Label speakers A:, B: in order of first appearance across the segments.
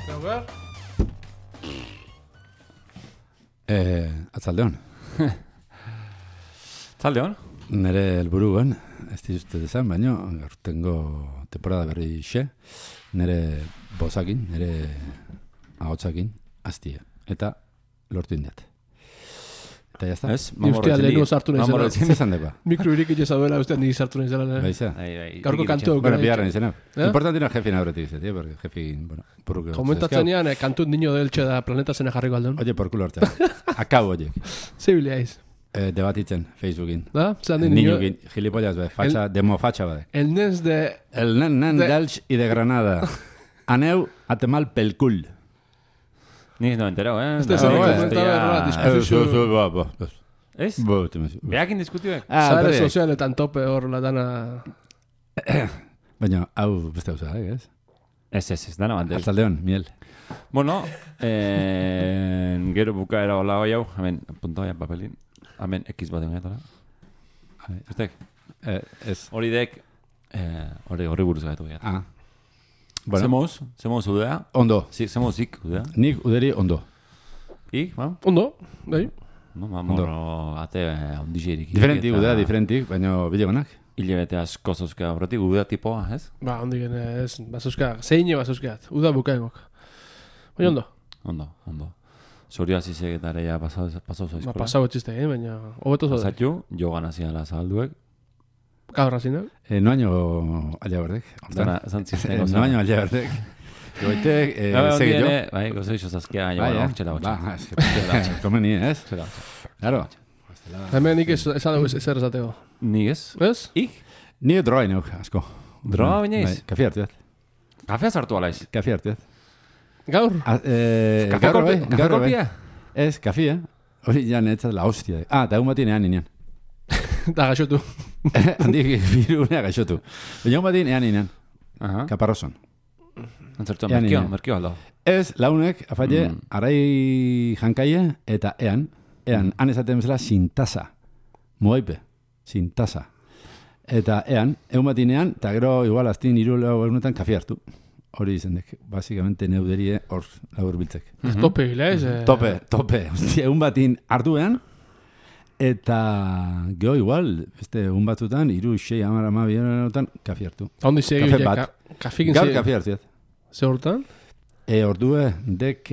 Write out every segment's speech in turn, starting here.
A: Gaugar?
B: Atzaldeon.
C: Atzaldeon?
B: Nere helburuen, ez dizute dezan, baina gaurtengo temporada berri xe, nere bozakin, nere ahotsakin, aztia. Eta lortu indiat. Eta jazta?
C: Ez?
A: Ni ustea lehenu sartu nahi zela.
B: Zezan depa.
A: Mikro irik izaduela ustea ni sartu nahi zela.
B: Baiza.
A: Gaurko kantu
B: Bueno, biharren izena. Importantina jefin aurretik izatea, porque jefin, bueno, purruke.
A: Komentatzen ean, kantu niño deltxe da planeta zena jarriko aldon.
B: Oye, por culo hartzea. Akabo, oye.
A: Zibiliaiz.
B: Debatitzen, Facebookin.
A: Da? Zan de niño...
B: Niñokin, gilipollas, facha, demo facha, bade.
A: El nens de...
B: El nen d'Elx i de Granada. Aneu a temal pel cul.
C: Ni no enterau,
A: Este zen komentaba
B: Eso,
C: Ez? Beakin diskutioek?
A: Zare sozialetan tope hor la dana...
B: Baina, hau beste hau zara, ez?
C: Ez, dana bandel.
B: Atzaldeon, miel.
C: Bueno, gero bukaera hola hoi hau, hemen, punta hoian papelin, hemen X bat egon Estek?
B: Ez.
C: Hori dek, hori buruz gaitu gehiat.
B: Ah. Bueno.
C: Zemoz udea?
B: Ondo.
C: Zemoz ik udea?
B: Nik uderi ondo.
C: Ik, ba?
A: Ondo, bai.
C: No, mamorro, ate ondixirik.
B: Diferentik, baina bidegonak.
C: Ile bete asko zozka horretik, udea tipoa, ez?
A: Ba, ondigen ez, bazuzka, zeine bazuzkat, uda bukaengok. Baina ondo.
C: Ondo. Zorio azizek eta areia pasau zoizkola.
A: Ba, pasau etxiste, baina, hobeto zode.
C: Pasatxu, jogan haziala zabalduek.
A: Gaur hazinak?
B: Noaino alia berdek.
C: Dana, zantzizteko.
B: Noaino alia berdek. Goitek, sege jo.
C: Bai, gozo iso zazkea, joan hortxela gotxa.
B: Ba, ez que komeni, ez? Claro.
A: Hemen nik esan dugu ezer esateko.
C: Nik ez?
A: Ez?
C: Ik?
B: Ni droa inauk, asko.
C: Droa bainaiz?
B: Kafi hartuet.
C: Kafea sartu alaiz?
B: Kafi hartuet.
A: Gaur?
C: Kafe kolpia?
B: Ez, kafia. Hori ja netzat la hostia. Da egun batien ean inean.
A: Da gaixotu.
B: Handik birunea gaixotu. Baina egun batien ean inean. Kaparroson.
C: Antzertu, merkio aldo.
B: Ez, launek, afalle, arai jankaie, eta ean han esaten bezala sintasa. Muaipe, sintasa. Eta egun batinean, eta gero igual aztin iruleo egunetan kafi hartu. Hori izendek, basikamente neuderie hor labur biltzek.
A: Tope gila ez?
B: Tope. Egun batin hartuean, eta geho igual, egun batzutan, 3, 6, 10, 12 kafi hartu.
A: Ondi segi
B: horiek,
A: kafikin segi?
B: Gaur kafi hartuet.
A: Ze hortan?
B: Ordue, dek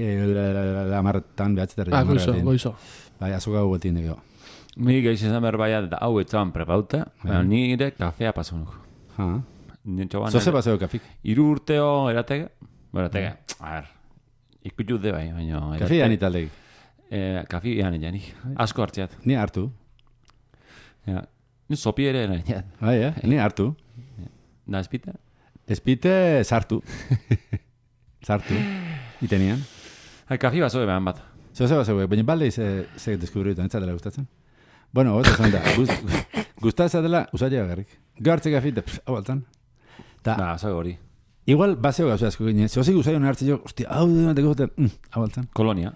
B: lamartan behatzetarri.
A: Goizo.
B: Bai, azuka guetin degeo.
C: Mi gaiz esan berbaiat eta hau etxaban prepauta, nire kafea pasunuk.
B: Zoze paseo kafik?
C: 3 urteo eratege. A ver, ikutu de bai, baina...
B: Kafi ean italdegi?
C: Kafi ean janik. Asko hartziat.
B: Ni hartu.
C: Ni sopi ere nahiat.
B: Bai, ni hartu.
C: Da espite?
B: Espite sartu. Sartu. Itenian.
C: Kafi bazoe behan bat.
B: Zoze bazoe, baina balde ze deskubriutan, ez zatela gustatzen? Bueno, gota zan da. Gustatzen dela, usaila garrik. Gartze kafi, hau altan.
C: Da, zago hori.
B: Igual, baseo gauza asko gine. Zozik usaion hartze jo, hostia, hau denateko goten, hau altan.
C: Kolonia.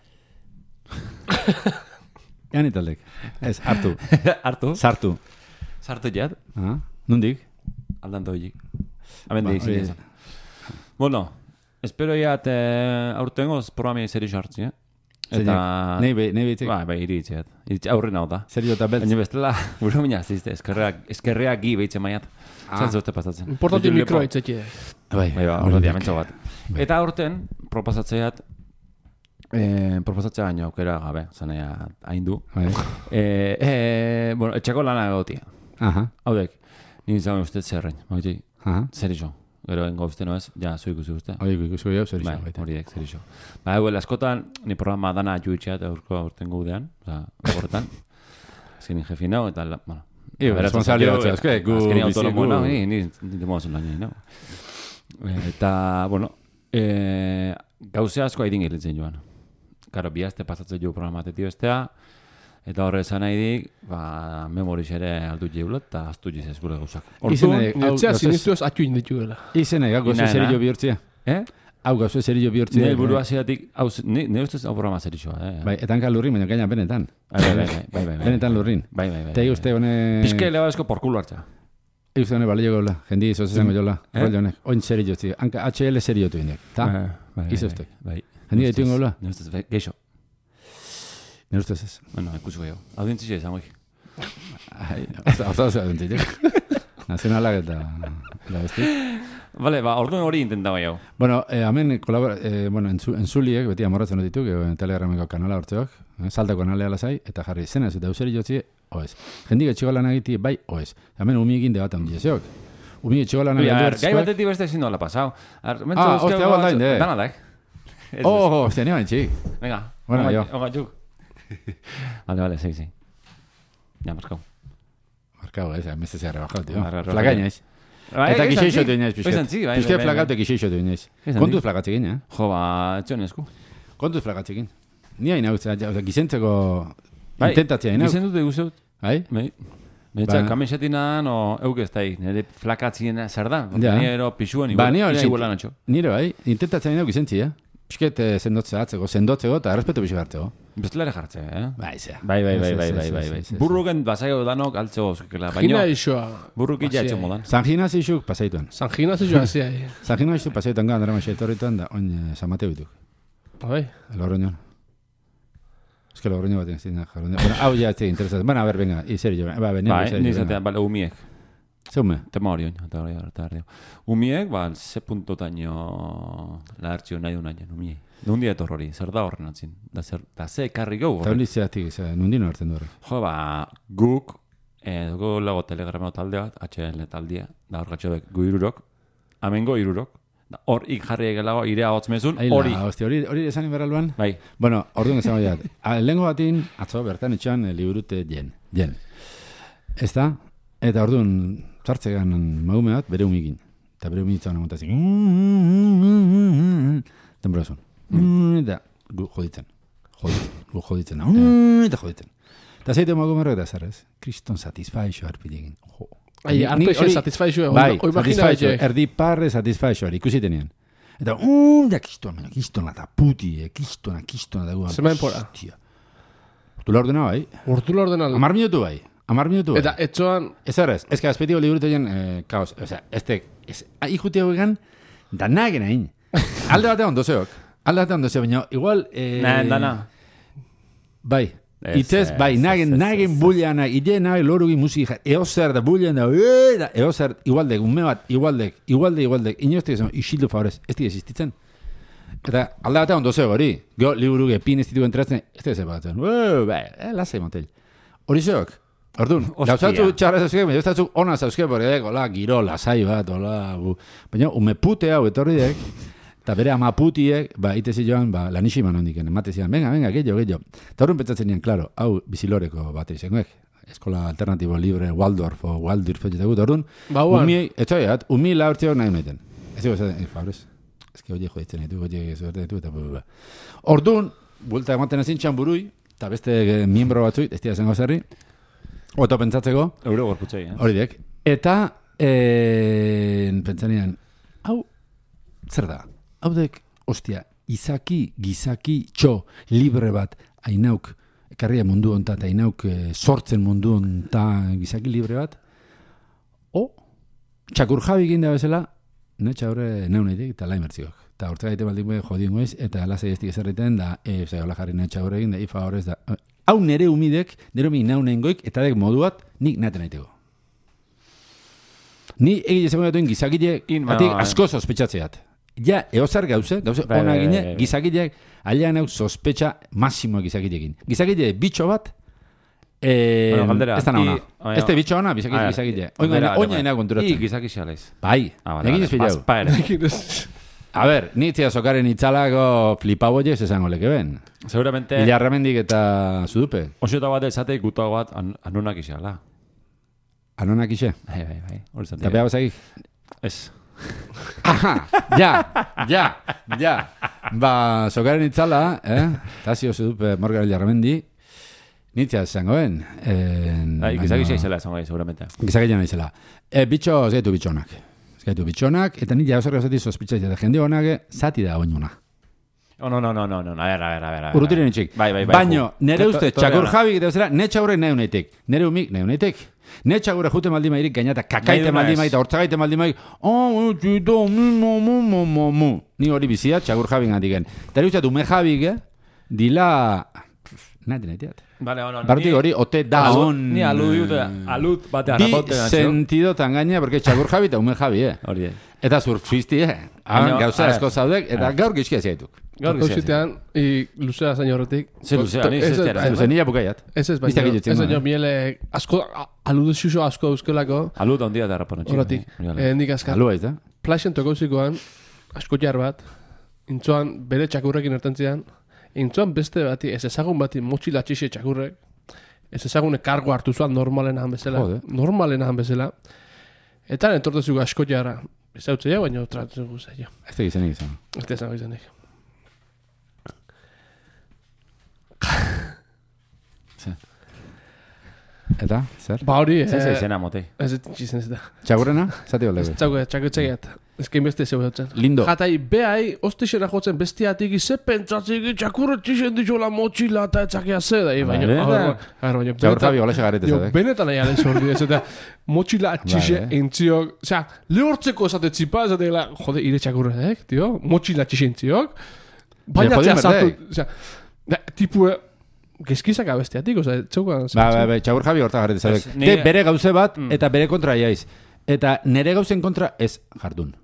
B: Ean italdek. Ez, hartu.
C: Hartu?
B: Sartu.
C: Sartu jat?
B: Nundik?
C: Aldanto horiek. Abendik zinezan. Bueno, espero jat aurtengoz programi seri hartzi, Eta...
B: Nei behitzik?
C: Bai, iritziat. Aurren hau da.
B: Serio eta beltz?
C: Baina bestela, buru mina zizte, eskerreak gi behitzen maiat. Zantzu urte pasatzen.
A: Importanti mikroa itzeki.
C: Bai, hori diamentxo bat. Eta aurten, proposatzeat, proposatzea baino aukera gabe, zanea haindu. Bueno, etxeko lana egotia. Haudek, nire zagoen ustez zerrein. Zer iso. Gero engo uste noez, ja, zu ikusi uste.
B: Ikusi hau, zer iso.
C: Hori dek, zer iso. Askotan, ni programa dana juitxeat aurten gudean, horretan. Azken jefi nao, eta, bueno.
B: Responsabili batzea,
C: azken autonomo nao, ni demoazen lañei nao. Eta, bueno, gauze asko haidin gilitzen joan. Karo, bihazte pasatzen jo programatetio estea, eta horre esan nahi dik, memoriz ere aldu jeulat, eta aztu jizez gure gauzak.
A: Orduan, netzea sinistuaz atxu indituela.
B: Izena, gauze zerillo bihurtzia. Hau gauze zerillo bihurtzia.
C: Nire burua zidatik, nire ustez hau programa zerilloa.
B: Bai, etanka lurrin, baina gaina benetan.
C: Bai.
B: Benetan lurrin.
C: Bai.
B: Tegi uste hone...
C: Pizke leba esko porkulo hartza.
B: Eusane balio gola, jendi zozezango jola, rollo honek, oin seri jotzi, hanka HL seri jotu inek, ta? Izuztek. Jendi gaitu ingo gola?
C: Nerustez, geixo.
B: Nerustez ez.
C: Bueno, ikusko gehiago. Audientzia izan goi.
B: Hasta audientziak. Nazionalak eta besti.
C: Vale, orduan hori intentaba jau.
B: Bueno, hemen entzuliek, beti amorratzen dut dituk, Telegrameko kanala hortzeok, saltako kanalea lasai, eta jarri zena ez eta euseri jotzi, oez. Jendik etxiko lan egiti, bai, oez. Hemen umiekin debatan diezok. Umik etxiko lan egiti.
C: Gai batetik beste ezin dola pasau.
B: Hostia, baldain, de.
C: Danadak.
B: Hostia, nioan txik.
C: Venga,
B: bueno, jo.
C: Onga txuk. Vale, sí. Ja, markau.
B: Markau, emeste zea rebajau, tio. Flakaina ez. Eta gixeixo du inaiz, pixket. Pixket flakatu gixeixo du inaiz. Kontuz flakatzekin, eh?
C: Jo, etxon esku.
B: Kontuz flakatzekin. Ni hain hau, gizentzeko intentatzea hain hau.
C: Gizentu dugu zeut.
B: Bai?
C: Betxak, kamisetina, no, euk ez da, nire flakatzien zer da. Nire pixuan
B: nire bai, intentatzea hain hau gizentzi, Pisket sendotzeko eta errespetu pixu hartzeko.
C: Bestelare jartze,
B: Bai, zea.
C: Bai. Burruken basaio danok altzeko zukela.
A: Gina isoa.
C: Burruki jatxo modan.
B: San Ginazio isuk pasaituan.
A: San Ginazio isoa hazi ahi.
B: San Ginazio isuk pasaituan gara, nera maixeto horretuan da, oin San Mateo dituk.
A: Bai.
B: Lorroñon. Ez que Lorroño baten ez dina jarroñon. Bueno, hau ja ez egin interesatzen. Bueno, a ver, venga, izeri jo.
C: Bai, nizatean, bale, umiek.
B: Zeume?
C: Tema hori oin, eta umiek, ze puntotaino lahartxio nahi duen aien, umiek. Nundi etor hori, zer da horren atzin. Da ze ekarri gau horrek.
B: Eta hori zeatik, nundino hartzen du horrek.
C: Jo, guk, dugu lago telegrameo talde bat, HL taldea, da hor gatxobek gu irurok, amengo irurok, hor ik jarri egelago irea hotzmezun, hori.
B: Hori esan inberraluan?
C: Bai.
B: Bueno, orduan esan goiat. Lehenko batin, atzo bertan etxan liburute jen. Ez da? Eta orduan, zartzegan magume bat, bere humigin. Eta bere humigin amontazik. Denborazun. Eta gu joditzen. Gu joditzen. Eta joditzen. Eta zeitu magume horrek da zerrez. Kriston satisfaixo harpilegin.
A: Arpexo satisfaixo.
B: Bai, satisfaixo. Erdi parre satisfaixo. Ikusitenean. Eta kistona eta puti. Kistona dagoan.
A: Zemen pora.
B: Urtula ordena bai.
A: Urtula ordena.
B: 10 minutu bai.
A: Eta etxoan...
B: Ez errez, ez que azpetiko liburutu egin kaos. O sea, ikuti hau egan, da nagen hain. Alde batean ondozeok. Baina igual...
C: Dana.
B: Bai. Itzez, bai, nagen buleana, ide nahi lorugi musika, eozer da buleana, eozer, igualdek, ume bat, igualdek, inoztek esan, isildu favorez, ez dira existitzen. Eta alde batean ondozeok hori, go liburu gepin ez ditugu entratzen, ez dira zepatzen, lasai motel. Hori zeok. Orduan, gauzatzu txarra zauzke, baina gauzatzu ona zauzke, hola, giro, lasai bat, hola, baina ume pute hau etorri dek, eta bere ama putiek, itezi joan, laniximan hondiken, ematezian, venga, gehiago. Eta horren pentsatzen nian, klaro, hau biziloreko bat izangoek, eskola alternatibo libre, Waldorf, jetagut, orduan, umi laurtzeok nahi uneten. Ez dugu zaten, fabrez, ez que oie joditzen ditu, eta orduan, buelta ematen ezin txan burui, eta beste miembro batzuit, ez dira zengo zerri, oto pentsatzeko.
C: Euro gorputzei,
B: Hori dek. Eta, pentsanian, hau, zer da? Hau dek, ostia, gizaki, txo, libre bat, hainauk, ekarria mundu onta, eta hainauk sortzen mundu onta gizaki libre bat, txakur jabi ginda bezala, netxa horre neuneitik, eta laimertzikok. Eta hortzak gaite baldin jodien goiz, eta lasai estik ezerriten, da, hola jarri netxa horre egin, da, ifa horrez, da, hau nere humidek, nere humi naunen goik, eta dek moduat, nik naten aiteko. Ni egile zegoen duen gizakileek, batik asko sospetxatzeat. Ja, eozar gauze ona gine, gizakileek, alian hau sospetxa masimoa gizakileekin. Gizakile bitxo bat, ez da nauna. Ez da bitxo ona, gizakile. Oina ina konturatzen.
C: Gizakixalez.
B: Bai, egin ez filau. A ver, nitzia sokaren itzalako flipaboiez esango leke ben.
C: Seguramente...
B: Ilarramendik eta zudupe.
C: Osiota bat esate gutago bat anonak isala.
B: Anonak ise?
C: Bai.
B: Eta beha bazakik?
C: Ez.
B: Ja. Sokaren itzala, Tazio zudupe Morgan Ilarramendi, nitzia esangoen.
C: Gizakixia izela esango seguramente.
B: Gizakixia izela. Bitxo, zaitu bitxonak. Gaitu bitxonak, eta nire hauzer gauzati sospitzatzea, eta jende honake, zati da oinuna.
C: No. A ver.
B: Urrutiren itxik.
C: Bai.
B: Baino, nere uste, txakur Javi, eta nere txagurrek nahi unaitek. Nere umik nahi unaitek. Nere txagurek jute maldi mairik gainata, kakaite maldi maik, eta hortzagaite maldi maik, ni hori bizia, txakur Javi gandiken. Eta uste, ume Javi, dila... Nahi.
C: Vale,
B: Bartik hori, ote da on...
C: Ni alut batean
B: Bi sentido tan gaina, porque txakur Javi eta ume Javi,
C: Hori,
B: Eta surfisti, Gauza asko zaudek, eta gaur gizkia zaituk.
A: Gaur gauzitean, luzea zain horretik.
C: Ze luzea, ni zestiara.
B: Luze nila bukaiat.
A: Ez baino, miele asko, aludu xuxo asko euskelako.
C: Alut ondia da rapona txik.
A: Horretik, nik azkat.
B: Alua ez da?
A: Plaxen tokauzikoan, asko jar bat, intzoan bere txakurrekin ertentzian, intzoan beste bati, ez ezagun bati motxila txixe txakurrek, ez ezagune kargo hartu zuan normalenahan bezala. Eta entortezuko asko jarra. Ez hau txea, baina tratuzuko zaila.
B: Ez da gizenik izan.
A: Ez da gizenik.
B: Eta, zer?
A: Ba hori...
C: Zer izena motei.
A: Ez txizen ez da.
B: Txagurrena? Zati
A: Ez txagutxegiat. Ez kein beste zeu dutzen.
B: Lindo.
A: Jatai, behai, ostixera jotzen bestiatik, ze pentsatzik, txakurre txixen ditxola motxila eta etxakia ze da.
B: Txakur Javi hola xagarete zadek.
A: Benetan nahi alen zordi ez, eta motxila txixe entziok. Osea, lehortzeko esatetzipa, esatela, jode, ire txakurre, tio? Motxila txixe entziok. Bainatzea zartu. Osea, tipue... Gezkizak abestiatik, oza, txaukan...
B: Ba, txakur Javi horta garrete zadek. Bere gauze bat, eta bere kontra jaiz. Eta nere gauzen kontra ez jardun.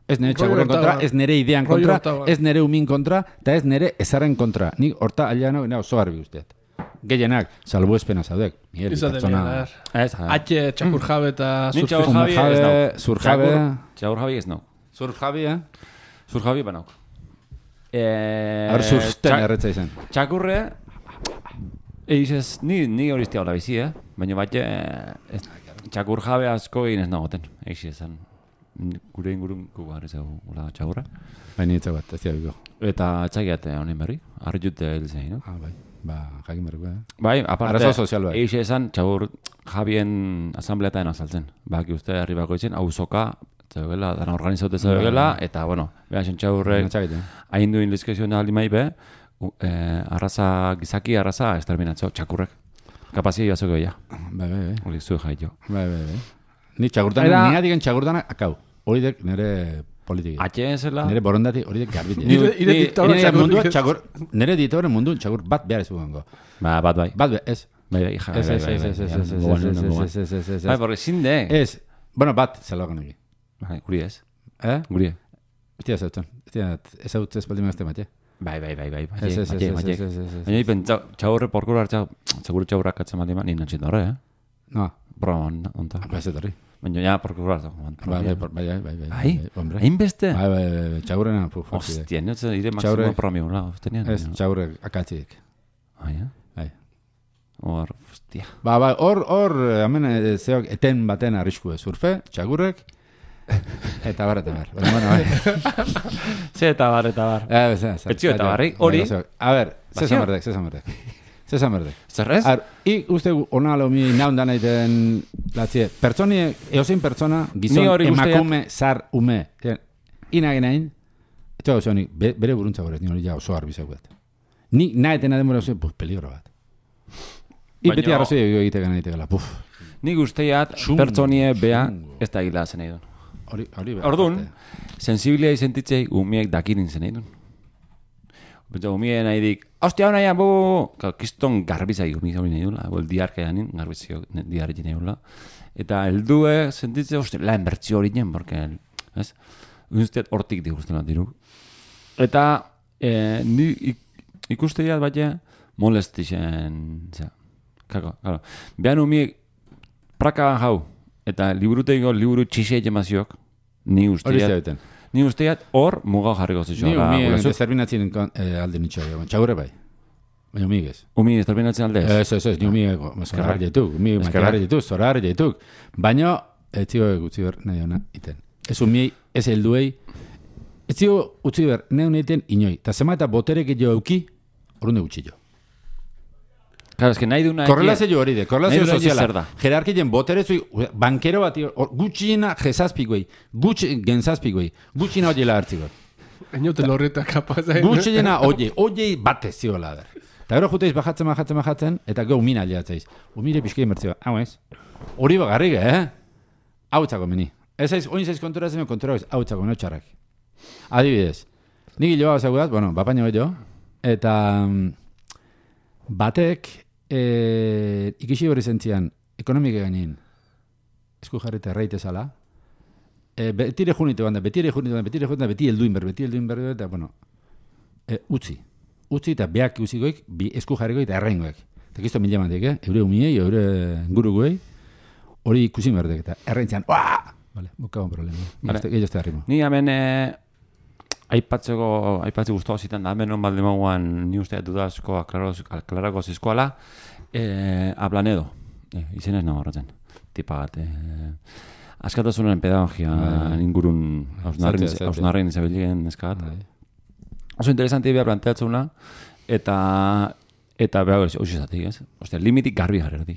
B: Ez nere txakurren kontra, ez nere idean kontra, ez nere umin kontra, eta ez nere ezaren kontra. Nik horta aliano, oso garbi guztiet. Gehienak, salbu espena zaudek.
A: Izate, Atxe, txakur Javi eta
B: Zur Javi.
C: Txakur Javi ez nau.
B: Zur Javi,
C: Zur Javi banauk.
B: Zurten erretza izan.
C: Txakurre... Eiz ni horiztia hola bizi, baina bat txakur jabe asko egin ez nagoten. Eiz ezan, gure ingurun kugar ez gula txakurra.
B: Baina ez bat, ez diabiko.
C: Eta txakiat honen berri, arjute elzei, no?
B: Bai, jakin berriko,
C: Bai, aparte,
B: arazo sozial bai.
C: Eiz ezan txakur jabien asambleataen azaltzen. Baki uste herribako itzen, hauzoka, zeugela, dana organizaute zeugela, eta, bueno, behasen txakurrek, hain duin lizkezioen aldi maibe, gizaki arraza esterminatzeo, txakurrek. Kapazia joazoko ja.
B: Bai.
C: Hori zuen jaio.
B: Bai. Ni txakurtanak, ni adigen txakurtanak akau. Hori dek nire politiki.
C: Atxeen zela?
B: Nire borondati hori dek garbiti. Nire diktadoren mundu txakur bat behar ezugango.
C: Bat bai.
B: Bat ez.
C: Bai. Bai, porque zinde.
B: Ez. Bueno, bat zelogan egi.
C: Guri ez.
B: Guri. Ez zautzen. Ez zautzen espaldi mazte matxe.
C: Bai. Baina ipen txaurre porkura hartza, seguro txaurrak katzen maldi ma, nien natxin horre,
B: No.
C: Broma, onta.
B: Ba, ez etorri.
C: Baina ja porkura hartza.
B: Bai.
C: Hain beste?
B: Bai. Txaurrena,
C: Hostia, niotzen ire maksimo promiun, la, ustenian.
B: Ez, txaurre akatzik.
C: Bai. Hor, hostia.
B: Ba, hor, hemen zeok eten baten arrisku surfe, txagurrek, eta bar.
C: Ze eta bar. Etxio eta barri, hori.
B: A ber, ze zamerdek.
C: Zerrez?
B: Ik uste ona lomi naundan aiten latzie. Pertsonie, eozein pertsona, gizon, emakume, zar, ume. Inagenain, eta gauzonik, bere buruntza gorez, ni hori ja oso arbizauet. Ni nahetena denbora oso, peligro bat. Beti arrazoi egiteko nahitekala,
C: Nik usteiat, pertsonie bea, ez da gila zen egin. Orduan, sensibilia izentitzei umiek dakirin zen egin. Umien nahi dik, hostia hona ya, kiston garbizai umik hori nahi dula, diarka janin, garbizio diarri nahi dula. Eta eldue sentitze, hostia, la enbertzio hori nien, porque, ez? Usteat hortik diguzten bat diru. Eta, ni ikusteiat baina, molestixen, Kako. Behan umiek prakaban jau, eta liburuteiko liburu txisei jemaziok, ni usteat hor mugau jarriko zitxo.
B: Ni umiek desterminatzen alde nitxo, txagurre bai. Baina umiek ez.
C: Umiek desterminatzen alde ez?
B: Ez, ni umiek zorar dituk, umiek makiar dituk, zorar dituk. Baina, ez zio gutzi ber nahi hona iten. Ez umiek, ez helduei, ez zio gutzi ber nahi hona iten inoi. Ta zema eta boterek jo euki, horunde gutxi jo.
C: Claro, es que nahi duna...
B: Korrelazio hori de, korrelazio soziala. Jerarkien boterezui, bankero bat, gutxina jezazpik goi, genzazpik goi, gutxina hori la hartziko.
A: Enote lorreta kapaz.
B: Gutxena, oie batez ziola der. Eta gero juteiz bajatzen, eta gau mina aliatzeiz. Umire pixkei mertzioa, hau ez? Hori bagarrik, hau txako meni. Ez aiz, oin zaiz konturatzen, hau txako, no txarrak. Adibidez, nik hilo hau zagudat, bapaino jo, eta batek ikisi hori zentzian, ekonomike gainin, esku jarrita erraitezala, betire junite banda, beti helduin berbe, eta, utzi eta beak uzikoik, esku jarrikoik eta errengoek. Eta kisto mila mantek, eure umiei, eure guruguei, hori ikusi berdek, eta errentzian, vale, bukagon problema. Gehiago ez da arrimo.
C: Ni hemen aipatze guztua zitan da, hemen balde mauan ni usteat dudazko aklarako zizkoala, Ablanedo, izen ez nago horretzen, tipa bat, askatasunen pedagogia ingurun hausnarren izabilien eskat. Oso interesanti beha planteatzuna, eta beha hori zatik, ez? Ostia, limitik garbi jarri.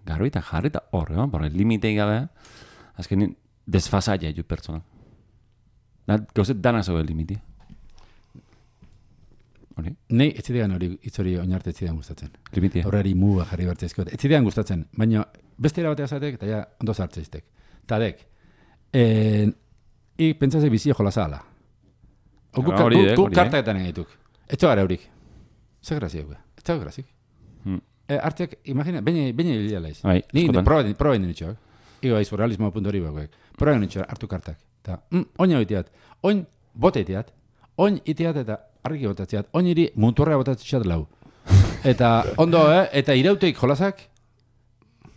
C: Garbi eta jarri eta horre, porque limitei gabe, azkenin desfasaia ju pertsona. Gauzet dana zobe limiti. Hori?
B: Nei, ez zidean hori, itzori oinarte ez zidean gustatzen.
C: Limitia.
B: Horreri muga jarri bertzezko. Ez zidean gustatzen, baina beste erabatea zatek, eta ja, ondo zartzeiztek. Tadek, pentsase bizio jolazala. Guk kartaetan egituk. Etxo gara eurik. Zer grazik, ez da grazik. Artek, imagina, baina hilia laiz. Ni probain dinitxoak. Igo aizu, realismo punto hori bakoek. Probain dinitxoak, hartu kartak. Oin hau iteat, oin bote iteat, oin iteat eta argiki botatzeat, oin iri munturrea botatzeat lau. Eta ondo, eta irauteik jolazak,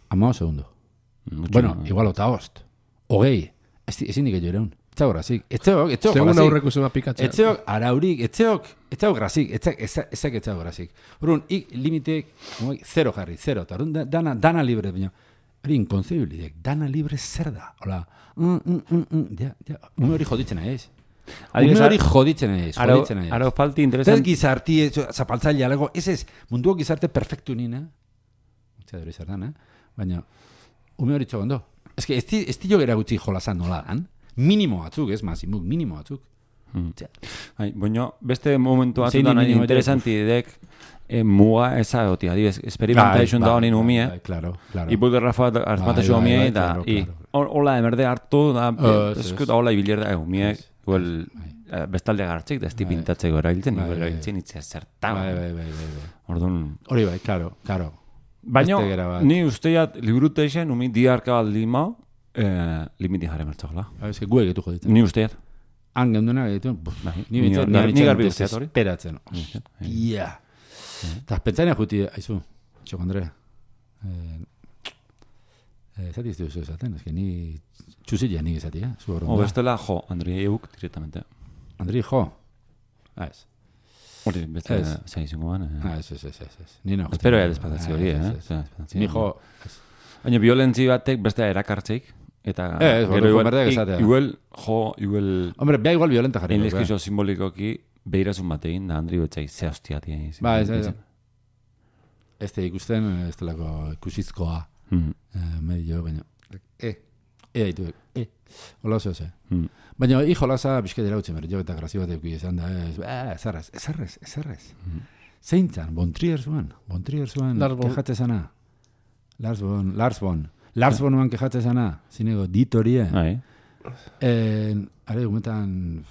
B: 15 segundo. Bueno, igual ota host. Ogei, ezin dik egin ereun. Etxeok grazik, etxeok
A: Segun aurreko zema pikatzea.
B: Etxeok araurik, etxeok grazik, ezak etxeok grazik. Horun, limiteek, 0 jarri, 0, eta horun dana libre, baina, hori inconcebible, dana libre zer da, hola, ume hori joditzen ez. Ume hori joditzen ez.
C: Aro falti interesant.
B: Ez gizarti, zapaltzaile alego, ez, munduak gizarte perfektu nina, etxea dori zer dan, baina, ume hori txogondo. Ez que, ez tilo gera gutxi jolazan nola dan, minimo batzuk, ez mazimuk, minimo batzuk.
C: Baina, beste momentu batzutan interesanti dek muga eza goti, adibes, experimentation da honin umie, ipulde Rafa hartmatexo umie, eta hola emerde hartu, da hola ibiler da umie, bestalde gartzik, da esti pintatzeko erailtzen, itzea zertan. Hori
B: bai, klaro.
C: Baina, ni usteiat librute isen, umi diarka baldima, limiti jare mertzagola.
B: Ez que gue egitu joditzen.
C: Ni usteat.
B: Han genduna egitu, ni
C: garbi usteat hori.
B: Esperatzen. Ia. Eta pentsaina juti, haizu, txoko Andre. Zati ez duzu esaten, ez que ni txuzilla nik ezati,
C: bestela, jo, Andri euk directamente.
B: Andri, jo. Ez.
C: Hori, beste zaizungoan.
B: Ez. Ni no.
C: Espero ya despazazio hori,
B: Ni jo.
C: Baina violentzi batek beste erakartzeik. Eta igual.
B: Hombre, bea igual violenta jarri.
C: Enlizkizo simbolikoki behirasun batein, da Andri betzai ze hostia tiene.
B: Ez. Ez te ikusten, ez telako ikusizkoa. Medio, baina. Haitu. Hola oso ze. Baina, jolaza bizketera utzen berri, jo eta grazio bat euki izan da, ezarrez. Zeintzan, Bontrier zuen, kejatze zana. Lars Bonuan kejatze zana, zinego ditorie. Are, gumetan,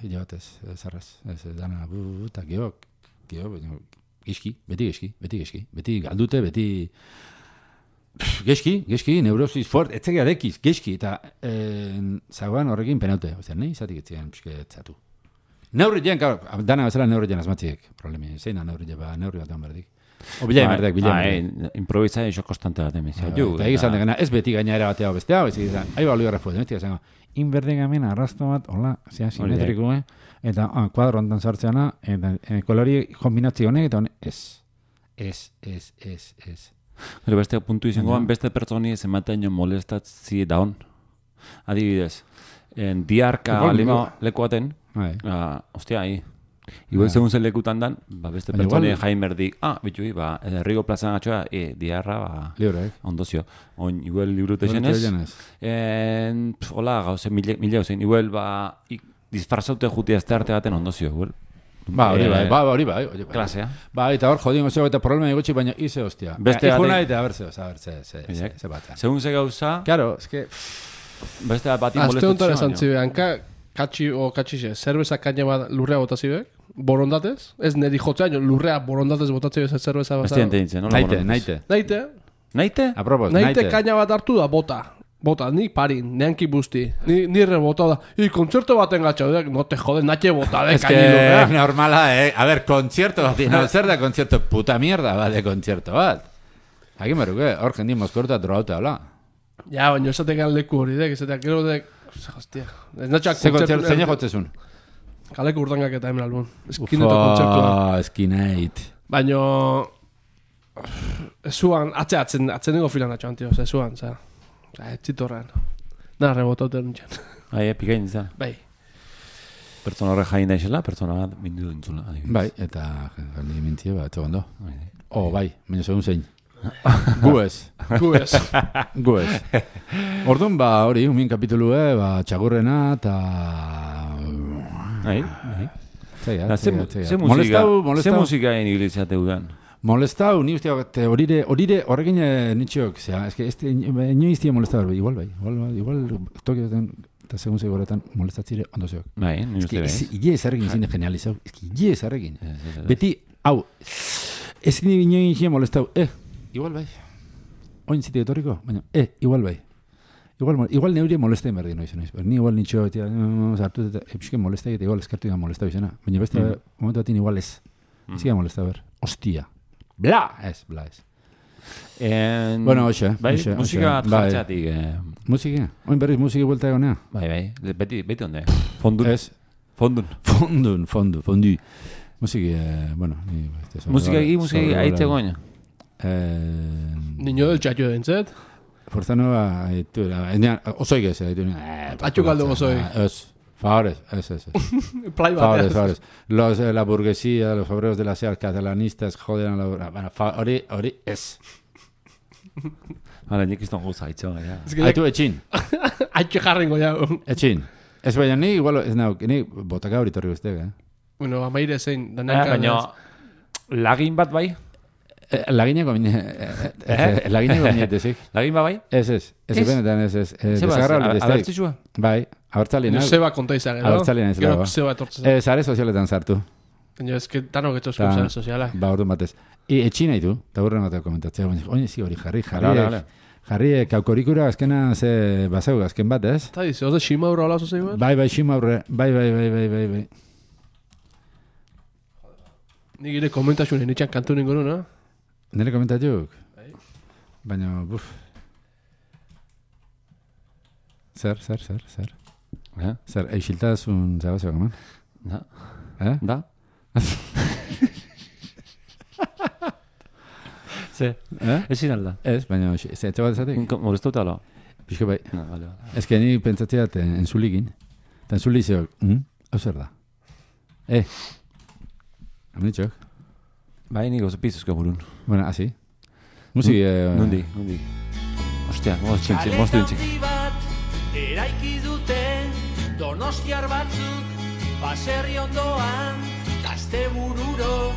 B: hile batez, ezarrez, dana, eta geok, beti geski, beti galdute, beti geski, neurosis fort, etzegia dekiz, geski, eta zagoan horrekin penaute, nahi izatik etzean pixketzatu. Neurri jen, dana bezala neurri jen asmatziek, problemi, zein da neurri jen, neurri bat berdik. O bilain berdek.
C: Improvisa iso konstante bat emizia.
B: Eta egizan degena, ez beti gaina ere batea bestea, ez egizan, ahi ba oligarra fuet, beti gazango, inberdegamen arrasto bat, hola, zea simetriko, eta kuadro ontan sartzeana, eta kolori kombinatzi honek, eta honek, ez.
C: Pero beste puntu izangoan, beste pertsoni ez ematen jo molestatzi daun. Adibidez, diarka lima lekuaten, hostia, igual segun zen lekutan dan, beste pertsoni jain berdik, bitui, Herriko plazan atxoa, diarra, ondozio. Oin, igual librute zenez, hola, gauze, mila gauzein, igual, disfrazaute juti azte arte baten ondozio, hori
B: bai.
C: Klasea.
B: Bai, eta hor jodingo zego eta problema egotxi, baina ize hostia.
C: Beste
B: ikuna eta a ver ze bat.
C: Segun ze gauza,
B: Claro, es que...
C: beste bati
A: Azte hontara esan
C: molestatzen.
A: zibean, katxixe, zerbeza kaina bat lurrea botazibek, borondatez, ez neri jotzea, lurrea borondatez botatzibek zerbeza bat.
C: Beste dintzen, nola
B: Naite.
C: Naite?
B: Apropos,
A: Naite kaina bat hartu da bota, ni parin, neanki busti, ni rebota da, kontzerto baten gatxa, no te jode, naite bota,
B: Es
A: kaini
B: que
A: lurrea.
B: normala, A ver, concierto bat, no, zer da concierto, puta mierda bat de concierto bat. Aquí meruke, hor jendi mozkorta drogauta, hola.
A: Ja, baina esatekan leku hori dek, esateak gero dek, hostia, ez natxak
B: Ze concierto, zein jotzezun?
A: kaleko urtangak eta hemen albun, eskineta kontzertua.
B: Eskineit.
A: Baina, ezuan, atzen dugu filan atxoan, tio, ezuan, za, etzitorrean. Nara rebotauten nintzen.
C: Pikain izan.
A: Bai.
C: Pertsona horre jain daizela, pertsona bat bindu dintzula.
B: Bai, eta gali mintie bat, ondo. Bai, baina segun zein. Gu ez. Orduan, hori, umin kapitulue, txagurrena, eta...
C: Ze musika egin ibilitzate udan?
B: Molestau, ni ustea, horire, horrekin nitxok, zera, eske, inoiztia molestau, igual tokioten, eta segun zegoetan, molestatzire ondo zeok.
C: Bai, ni uste bai.
B: Ie ezarrekin zine genializau, ie ezarrekin. Beti, hau, ez inoiztia molestau, igual bai. Oin zite etorriko, baina, igual bai. Igual neure molestain berdi noiz. Ni igual nitxo, zartu eta epsken molestai eta igual eskartu da molestau izena. Baina beste momentu batin igual ez. Ez gira molestau ber. Ostia. Bla ez. Bueno, hoxe.
C: Bai, musika jartzeatik.
B: Musika? Oin berriz musiki buelta egonea?
C: Bai, beti onde. Fondun.
B: Ez.
C: Fondu.
B: Musiki, bueno.
C: Musika aitze goña.
A: Niño del txatio dentzet.
B: Forza nueva, osoik ez.
A: Atxukaldo osoi.
B: Ez. Favores, ez.
A: Play bat.
B: Favores. La burguesía, los obreros de la SEAL catalanistas joden a la... Bueno, hori ez.
C: Hala, nik izton guza haitxo.
B: Aitu etxin.
A: Aitxe jarrengo jau.
B: Etxin. Ez baina ni, igual, ez nauk, ni botaka hori torri guztek,
A: Bueno, amaire zein.
C: Baina, lagin bat bai?
B: Lagineko minetezik.
C: Lagin bat bai?
B: Ez benetan ez.
C: Abertzizua?
B: Bai, abertzalina.
A: Zeba konta izan,
B: Abertzalina izan.
A: Gero zeba etortzen.
B: Zare sozialetan sartu.
A: Baina ez que tanok etxozko zare soziala.
B: Ba, orduan batez. Etxin nahi du, eta burren bat komentatzea. Oin ezi hori jarri kaukorikura azkena ze bazau azken bat, ez?
A: Eta dize, oze ximaurra hola zozei bat?
B: Bai, ximaurre. Bai.
A: Nik ire komentaxunen itxan kantu ningu nuna.
B: Nire komentatuk? Baina, Zer? Zer, eixiltazun zabazioak, man?
C: Da? Ze? Ezin alda?
B: Ez, baina, etxe bat ezatik?
C: Molestauta ala?
B: Pixko bai.
C: Vale.
B: Ez que ni pentsatzea enzulikin. Eta enzulizeok, hau zer da? Amunitxok?
C: Bai, niko pizuzko burun.
B: Bueno, así. Musiki...
C: Nundi. Ostia, moztu dintzik.
D: Eraiki dute donostiar batzuk baserri ondoan gazte bururo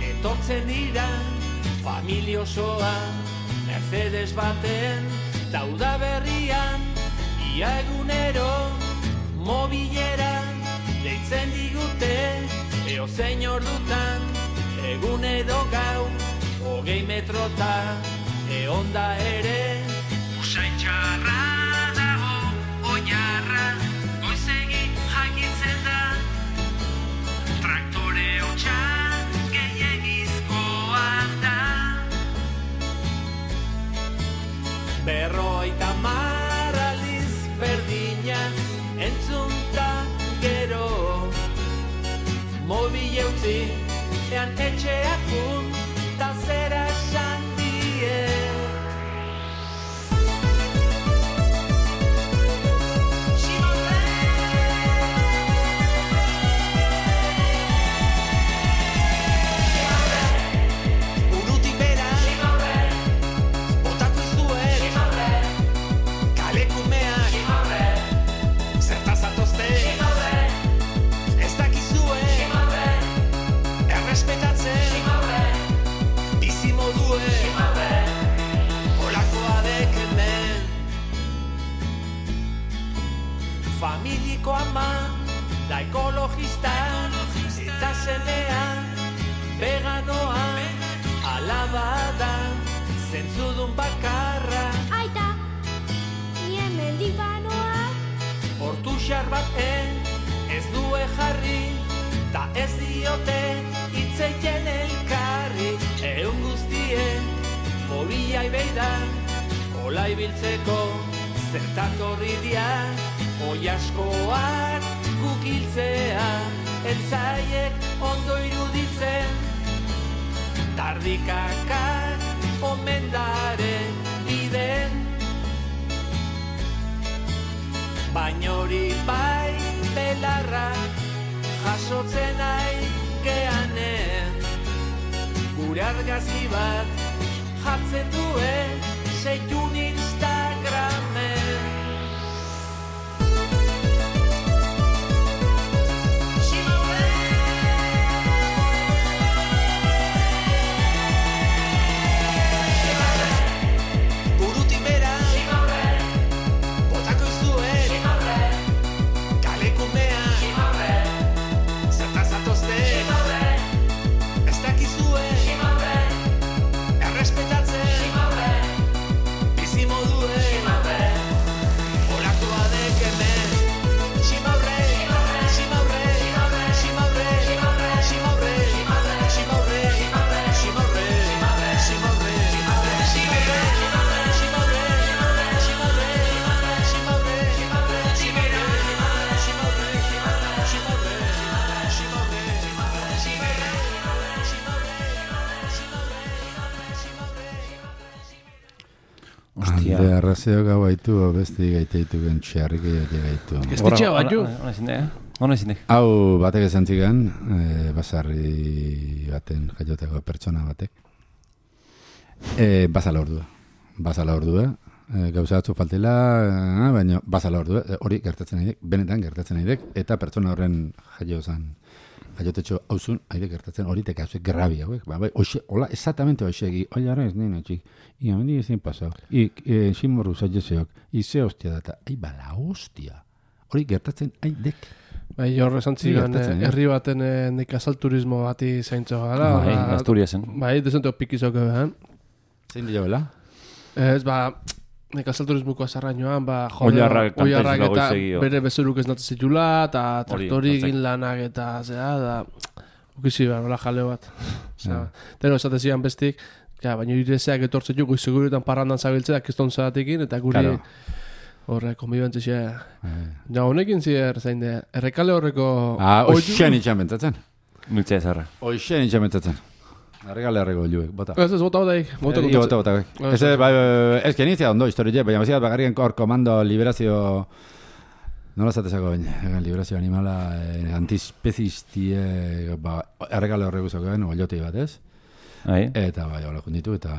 D: etortzen dira familia osoa Mercedes baten dauda berrian ia egunero mobilera deitzen digute eozein ordutan egun edo gau 20 metrota eonda ere usain txarra oinarra, goizegi jakitzen da traktore hotxa gehiagizkoa da 50 aldiz berdina entzunta gero mobil eutzi ean etxeak jun ta zera esan die ekologista eta semea veganoa alaba da zentzudun bakarra
E: Aita, ni hemendik banoa
D: Hortu xar baten ez due jarri ta ez diote itzeiten elkarri egun guztien horiai beidan hola ibiltzeko zertatorri dia oi askoak gukiltzea etzaiek ondo iruditzen tardikakak omendaren biden baina hori bai belarra jasotzen nahi geanen gure argazki bat jartzen duen seitun Instagramen
B: Alde arrazio gau haitu, beste gaiteitu gentxearrik gaitu.
A: Gaztetxea bat ju.
C: Hona ezin
B: Hau batek esan zigan, basarri baten jaioteko pertsona batek. Basala ordua. Gauza batzu faltela, baina basala ordua. Hori gertatzen nahi dek, benetan gertatzen nahi dek, eta pertsona horren jaiotetxo hauzun, haide gertatzen hori tekazuek grabia, hola, exactamente hoxe, ara ez nena, txik, ia, mendi ezin pasau, ximorru zaitzeok, ze hostia data, bala hostia, hori gertatzen haidek.
A: Bai, hor esan zigan, herri baten nekazal turismo bati zaintzo gara.
C: Bai, Asturiasen.
A: Bai, desenteo pikizok ebean.
B: Zein dira bela?
A: Ez, nekazal turismuko azarrainoan,
C: Oilarrak
A: eta bere bezuruk ez natzen zitula, eta traktori egin lanak eta zera, da, ukizi nola jale bat. Tero esatezian bestik, baina irezeak etortzen jo, goizeguretan parrandan zabiltzea, kiston zeratekin, eta guri horre, konbibentzia. Ja, honekin zier, zain de, errekale horreko...
B: Oixen itxan bentzatzen.
C: Nuitzea ezarra.
B: Oixen itxan bentzatzen. Arregale arrego juek, bota.
A: Ez bota bataik.
B: Bota. Ez que initzia ondo historia, baina baziat bagarrien hor komando liberazio... Nola zatezako baina, liberazio animala antispezistie... Arregale horrego zakoen, oliotei bat ez? Eta bai, hola junditu eta...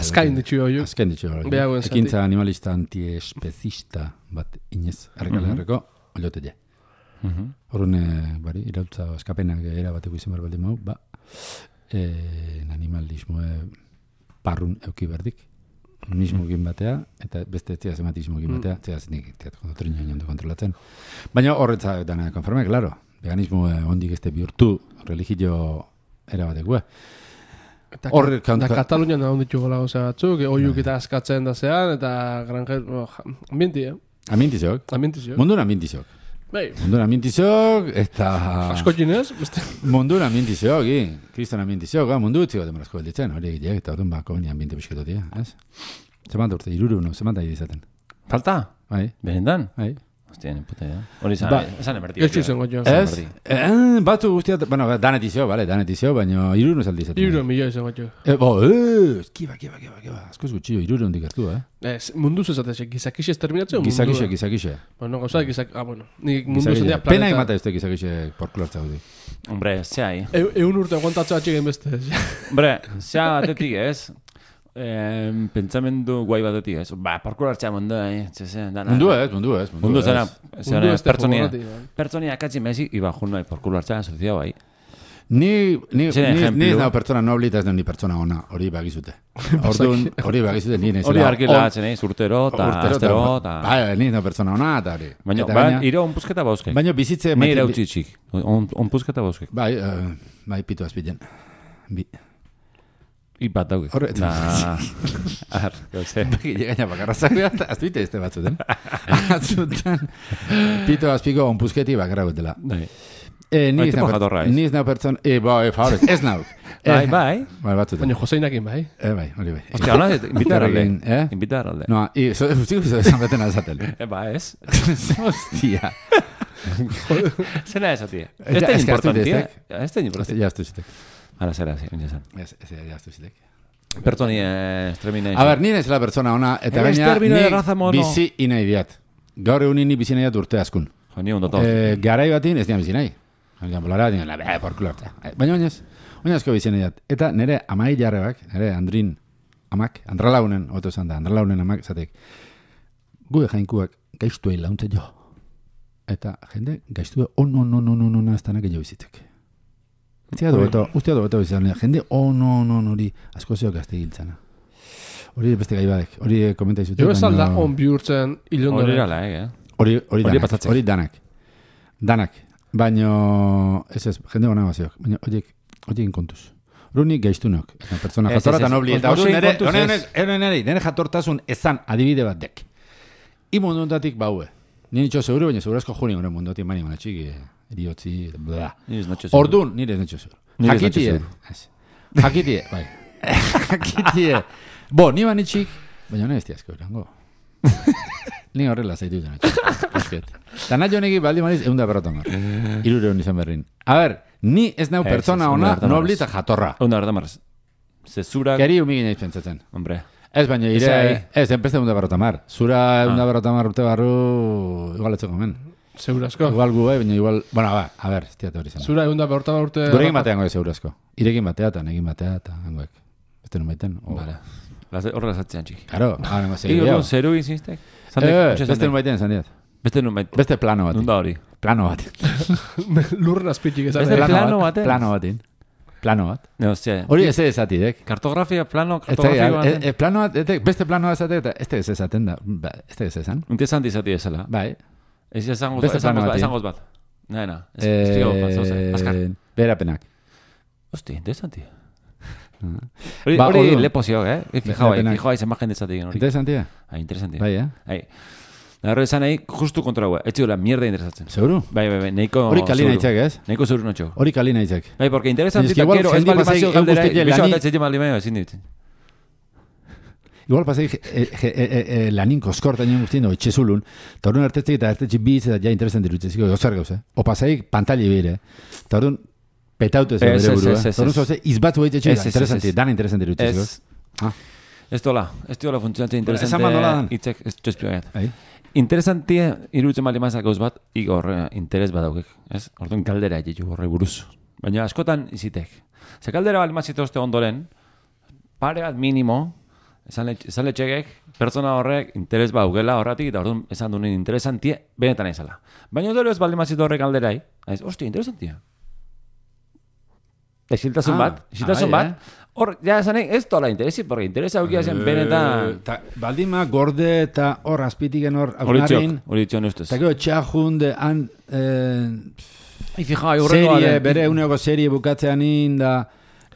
A: Azkain ditxu hori.
B: Azkain ditxu hori. Ekintza animalista antiespezista bat inez. Arregale horreko oliotei. Horren, bari, irautza eskapenak era bateko izan behar baldin mau, animalismo parrun euki berdik. Mismo egin batea, eta beste etziaz ematismo egin batea, etziaz nik triño ondo kontrolatzen. Baina horretza dana konforme, claro. Veganismo ondik este bihurtu religio era batek,
A: Eta Katalunian da onditu gola goza batzuk, oiuk eta askatzen da zean, eta granger... Ambienti,
B: Ambientizok. Mundun ambientizok.
A: Bai.
B: Mundun ambientizok, eta...
A: Asko ginez?
B: Mundun ambientizok, kriston ambientizok, mundu utziko demorazko belditzen, hori egitek, eta orduan bako beni ambiente bisketotia, ez? Zeman urte, zeman da izaten.
C: Falta?
B: Bai.
C: Berendan?
B: Bai.
C: Hostia, ni puta idea. Hori esan emertio.
A: Ez izango jo.
B: Ez? Batzu guztiat, bueno, danetizio, baina 300 aldi izaten.
A: 300 milioi izango jo.
B: Kiba. Askoz gutxio, 300 hondik hartu,
A: Ez, munduz esatez, gizakixe terminatzeo mundua.
B: Gizakixe.
A: Bueno, gauza, bueno, nik munduz esatea planeta.
B: Pena emata ezte gizakixe porkulartza gudi.
C: Hombre, zehai.
A: Eun urte aguantatzea atxegen beste.
C: Hombre, zea batetik ez. Pentsamendu guai batetik ez. Porkulartza mundu,
B: Mundu ez.
C: Pertsonia akatzi mezi, iba jun nahi porkulartza asociado ahí.
B: Ni ez nao pertsona nobli eta ez ni pertsona ona, hori bagizute. Orduan, hori bagizute ni nezela.
C: Hori argila atzen, urtero, eta astero, eta...
B: Bai, ni ez nao pertsona ona, eta hori.
C: Baina, iro onpuzketa bauzkek.
B: Baina bizitze...
C: Ni ere utxitxik, onpuzketa bauzkek.
B: Bai, pitu azpiten.
C: Ipat dauk.
B: Horret.
C: Ar, gauze.
B: Gaina bakarra zagoa, azpite este batzuten. Atzutan. Pitu azpiko onpuzketi bakarra gutela. Ni ez nao pertsona... Favorez, ez nao.
C: Bai.
B: Batzuten.
A: Baina Joseinakin bai.
B: Bai, hori bai.
C: Ostia, hona, invitar alde.
B: No, ustiko esan beten azatel.
C: Ba, ez?
B: Hostia.
C: Zena ez, atia. Ez da importantia. Ez da importantia.
B: Ja, estu zitek.
C: Ara, zera, zinezan.
B: Ja, estu zitek.
C: Pertoni, estremina.
B: A ber, nire zela pertsona ona, eta gaina ni bizi inai diat. Gaur egun ni bizi nahi diat urte askun.
C: Jo, ni ondotau.
B: Garai batin ez dian bizi nahi. Bolara, baina oinazko bizi nahi diat. Eta nire amai jarrebak, nire Andrin amak, Andralaunen, oto esan da, Andralaunen amak, zatek, gu jainkuak gaiztu egin launtze jo. Eta jende gaiztu on ez tanak egin bizitek. Ustia do beto bizan, jende hori asko zeok gazte giltzana. Hori beste gai badek, hori komenta izute.
A: Jo esan da on bihurtzen ilondore.
C: Hori gala,
B: Hori danak. Baina, ez, jende gona baziok. Baina, horiek kontuz. Runik gaiztunok. Pertsona jatorra eta nobli. Eta hori nire jatortasun ezan adibide bat dek. Imunduntatik baue. Ni nitxo seguro, baina segurazko juni gure mundotik mani manatxik, eriotzi, bla. Ordun, nire ez nitxo seguro. Jakitie, bai. Jakitie. Bo, ni manitxik, baina hone ez tiazko erango. Ni horrela zaitu dena txik. Eta nahi honegi baldi maniz, 100 berrotamar. 300 izan berrin. A ber, ni ez nau pertsona ona, nobli eta jatorra.
C: 100 berrotamar. Zezurak...
B: Keri humigin eiz pentsatzen.
C: Hombre.
B: Ez, baina enpeste 100 berrotamar. Zura 100 berrotamar urte barru, igual etxeko men.
A: Segurazko.
B: Igual gu, baina igual... Bueno, a ber, ez tiatu hori zen.
A: Zura 100 berrotamar urte...
B: Gurekin batean goe segurazko. Irekin batea eta negin batea eta hangoek. Beste nun baiten.
C: Vale. Horrela zatzean txiki.
B: Claro, ahora más serio.
C: Ego, zeru inzistek?
B: Beste nun baiten, zan diat.
C: Beste nun baiten.
B: Beste plano bat.
C: Nunda hori.
B: Plano bat.
A: Lurren azpitxik esan.
C: Beste plano baten?
B: Plano bat.
C: No, hostia.
B: Hori ez esatik, dek.
C: Kartografia, kartografia baten.
B: Plano bat, beste plano bat esatik, eta ez esaten da. Ez esan.
C: Interesanti izati ezela.
B: Bai.
C: Ez esangoz bat. Naena. Ez tigo bat, zauze. Azkar.
B: Berapenak.
C: Hosti, interesanti. Hori lepozio, Fijau aiz emagen dezatik.
B: Interesantia?
C: Interesantia.
B: Bai,
C: Nahero esan nahi, justu kontra hua. Ez ziola, mierda interesatzen.
B: Seguro?
C: Bai, neiko...
B: Hori kalina itzak, ez?
C: Neiko zeuru notxo.
B: Hori kalina itzak.
C: Bai, porque interesantita, quiero, ez bali mazio galdera, biso bat etxetik maldi maio, ezin ditzen.
B: Igual pasai lanin koskorta nion guztien, etxezulun, eta horren artetzek eta artetxe biz eta ja interesanti rutzeziko, gozar gauz, O pasai pantali bire, eta horren petautu ez bere buru, eta horren zoze izbatzu behitze interesanti, dan interesanti rutzeziko.
C: Ez dola funtzionatzen interesante, itzek, ez txespio gaiat. Interesantia iruditzen bali mazak gauz bat, igor interes bat daukek, ez? Orduan kaldera egitu horre buruz. Baina askotan izitek. Ze kaldera bali mazitozte ondoren, pare bat minimo, esan letxegek, pertsona horrek interes bat augela horretik, eta orduan esan duen interesantia, benetan ezala. Baina ondoro ez bali mazito horrek kalderai, hostia, interesantia. Exiltasun bat, hor, ja esanek, ez tola interesi, porque interesa aukia zen benetan...
B: Baldima gorde eta hor azpitiken hor...
C: Hori txon ustez.
B: Eta gero txajunde,
C: serie,
B: bere uneoko serie bukatzean inda,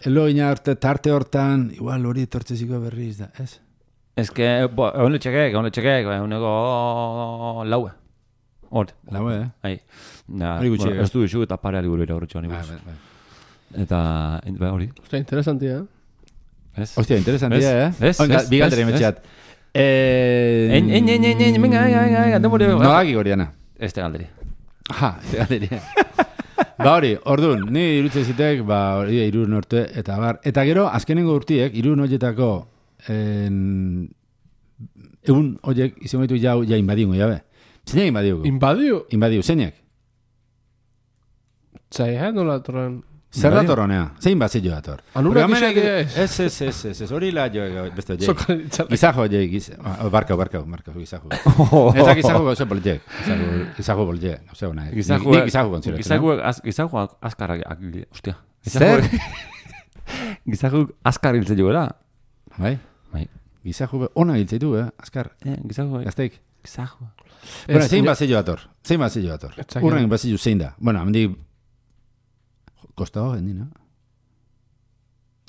B: eloina arte tarte hortan, igual hori tortzeziko berriz da, ez?
C: Ez que, hone txekek, uneko laue. Hor.
B: Laue,
C: Ez du isu eta pare aliguru ira horretxo honi buruz. Eta, hori.
A: Ostia, interesantia,
B: Hostia, interesantia, Bigaldere metxeat. Nolaki goriana.
C: Ez te galderi.
B: Ez te galderi. Hori, orduan, ni irutze zitek, hori irur norte, eta bar. Eta gero, azkenengo urtiek, irur noietako, egun horiek, izan gaitu ja inbadiungo, jabe. Zeinak inbadiuko?
A: Inbadiu?
B: Inbadiu, zeinak?
A: Zai, nola torren...
B: Zer dator honea? Zein bazillo dator?
A: Anurak
B: Porque
A: isek
B: hemenek- Ez, hori la jo, beste oie.
A: Sokan itzalak.
B: Gizajo oie, barkau, gizajo. Ez da gizajo gauze bolje. Gizajo bolje, gauze hona. Ni gizajo kontziratu.
C: Gizago azkarrak, hostia.
B: Zer?
C: Gizago azkar hiltzen joera.
B: Bai?
C: Bai.
B: Gizajo ona hiltzeitu, azkar.
C: Gizago,
B: Gazteik.
C: gizago.
B: Bueno, zein bazillo dator? Zein bazillo dator?
A: Etzakit.
B: Urren bazillo zein da? Bueno, hamendi... Kostako jendin, no?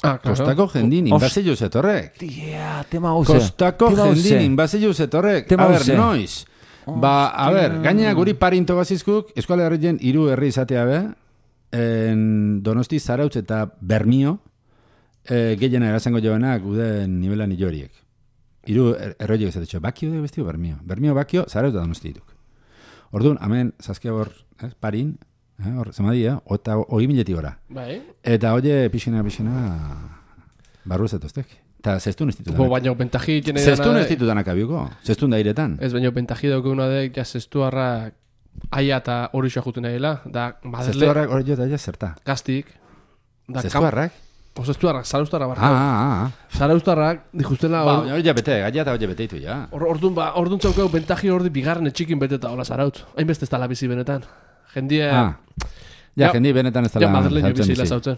A: Ah, claro.
B: Kostako jendin inbazillo zetorrek.
C: Tia, tema hauze.
B: Kostako jendin inbazillo zetorrek.
C: Tema
B: A ber,
C: hauze.
B: noiz? Ba, a ber, gaina guri parinto gazizkuk, Euskal Herrien hiru herri izatea be, en Donosti, Zarautz eta Bermio, gehiena erazango joanak uden nivelan iloriek. Hiru erroiek izateko, bakio de bestio Bermio. Bermio, bakio, Zarautz eta Donosti dituk. Orduan, hemen, zazkia hor, parin, hor, zemadia, eta 20.000 gora.
A: Bai.
B: Eta oie, pixena, barru zetoztek. Eta zestun ez
A: Bo,
B: ditutanak.
A: baina bentaji jene
B: Zestun ez ditutanak abiuko. Zestun da iretan.
A: Ez baina bentaji daukaguna dek, ja zestuarrak aia eta hori juten nahiela, da Madele
B: Zestuarrak hori jo da ja zerta.
A: gaztik, da
B: Zestuarrak?
A: zestuarrak, zaraustarrak barra.
B: Ah.
A: Zaraustarrak, dijustela
B: Ba,
A: hor,
B: hori ja bete, gaia eta hori beteitu, ja.
A: orduan txaukau bentaji hori bigarren etxikin beteta hola zarautz. Hainbeste ez dala bizi benetan. Jendia,
B: Ja, jendi benetan ez
A: ja
B: dela
A: Madeleño
B: zautzen
A: bizila
B: bizi.
A: zautzen.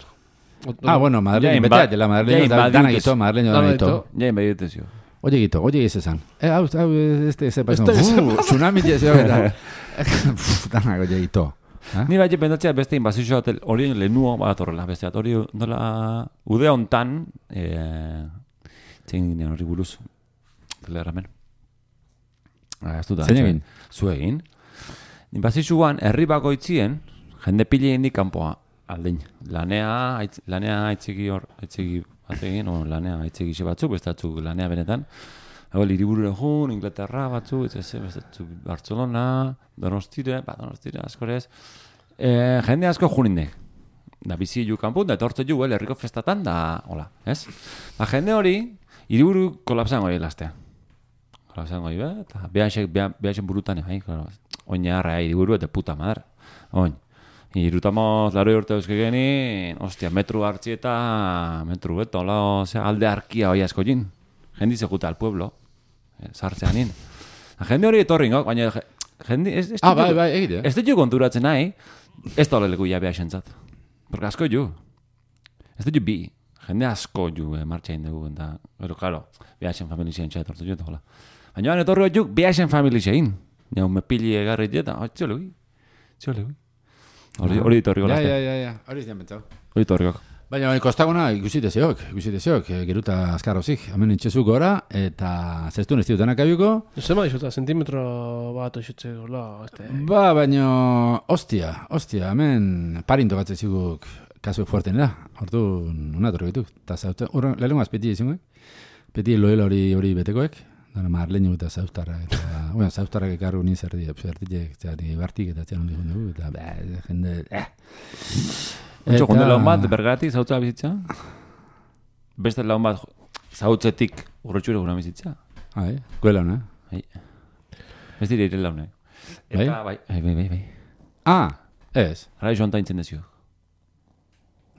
B: Bueno, Madeleño
C: Ja,
B: betea, dela Madeleño,
C: ja,
B: da- dana
C: invadiutes.
B: gito, Madeleño
A: Dana
B: dana gito.
A: gito.
C: Ja, inbadietez jo.
B: Oye ez esan. Hau, este,
A: Este-
B: tsunami jezeo, eta. Dana oie gito.
C: Ni bai pensatzea beste inbazio hotel hori lehenuo badatorrela, beste hori nola udea hontan zein ginen hori buruz telegramen. Ez dut da.
B: Zein egin?
C: Zu egin. Inbazioan herri bakoitzien jende pile indik kanpoa aldein. Lanea aitzegi bategin, o lanea aitzegi batzuk, beste batzuk lanea benetan. Hau, hiriburura joan, Inglaterra batzuk, beste batzuk Barcelona, Donostire askorez. Jende asko junindek. Da bizi ju kanpun, da etortze ju, herriko festatan, da, hola, ez? Ba, jende hori, hiriburu kolapsan goi lastea. Kolapsan goi, eta behaxen burutan, claro, oinarra, hiriburu, eta puta madre. Oin. Irutamos laro urte euskegeni, ostia, metru hartzi eta metru, hola, alde arkia hoi asko jin. Jendi zejuta al pueblo, sartzean nin. Jende hori etorri, no? Baina jende...
B: Bai, egite.
C: Ez dut jo konturatzen nahi, ez da oleleku ja behaxentzat. Porque asko ju. Ez dut jo bi. Jende asko ju martxain dugu. Pero, claro, behaxen familizien txai etortu jo, hola. Baina etorri jo behaxen familizien. Ja, me pili egarri jeta, txolegi. Hori etorri golazte.
B: Ja. Hori zian bentzau.
C: Hori etorri gok.
B: Baina kostaguna ikusite zeok, geruta azkar hozik, hemen itxezu gora, eta zestun ez ditutenak abiuko.
A: Zema dixuta, zentimetro bat oixutze gola, este...
B: Ba, baina, ostia, hemen parin tokatzen ziguk kasu fuerten da, ordu unatorri bituk. Eta zauten, lehenko azpeti izangoek, peti loela hori betekoek, dara Marleño eta zauztarra, eta, bueno, zauztarrak ekarru nintzerdi, zertitek, bartik eta txan hondi dugu, eta, jende,
C: Ontxo, jonde laun bat, bergaratik zautza bizitza? Beste laun bat zautzetik urretxure guna bizitza?
B: Kuela hona.
C: Ez dire ire laune. Eta, bai.
B: Ez.
C: Ara joan ta intzen dezio.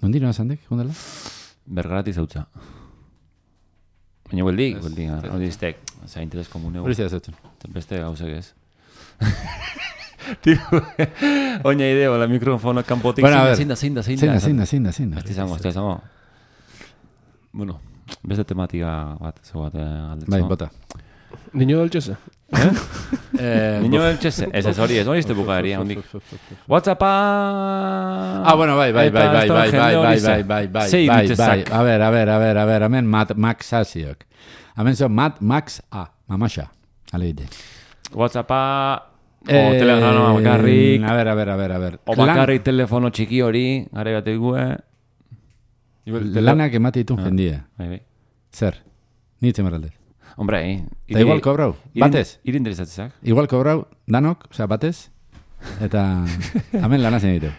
B: Nondi noa zandek, jondela?
C: Bergaratik zautza. Baina hueldik, hori iztek, za interes komuneu.
B: Hori zera zautzen.
C: Beste gauzak ez. Tipo, oina ideo, la mikrofono kanpotik.
B: Bueno, a ver.
C: Zein da.
B: Ez
C: izango. Bueno, beste tematika bat, zeu bat galdetzen.
B: Bai, bota.
A: Niño del Chese.
C: Niño del Chese. Ez hori izte bukaderia, hondik. WhatsAppa...
B: Bueno, bai. A ver, hemen Max Asiok. Hemen zo Max A, Mamaxa. Aleide.
C: WhatsAppa... telefono bakarrik.
B: A ver.
C: O bakarrik telefono txiki hori, gare bat egue.
B: Lanak emate ditun jendie.
C: Bai.
B: Zer? Nitzen marraldez.
C: Hombre,
B: Eta igual kobrau, batez.
C: Iri interesatzezak.
B: Igual kobrau, danok, osea, batez. Eta hemen lanazen ditu.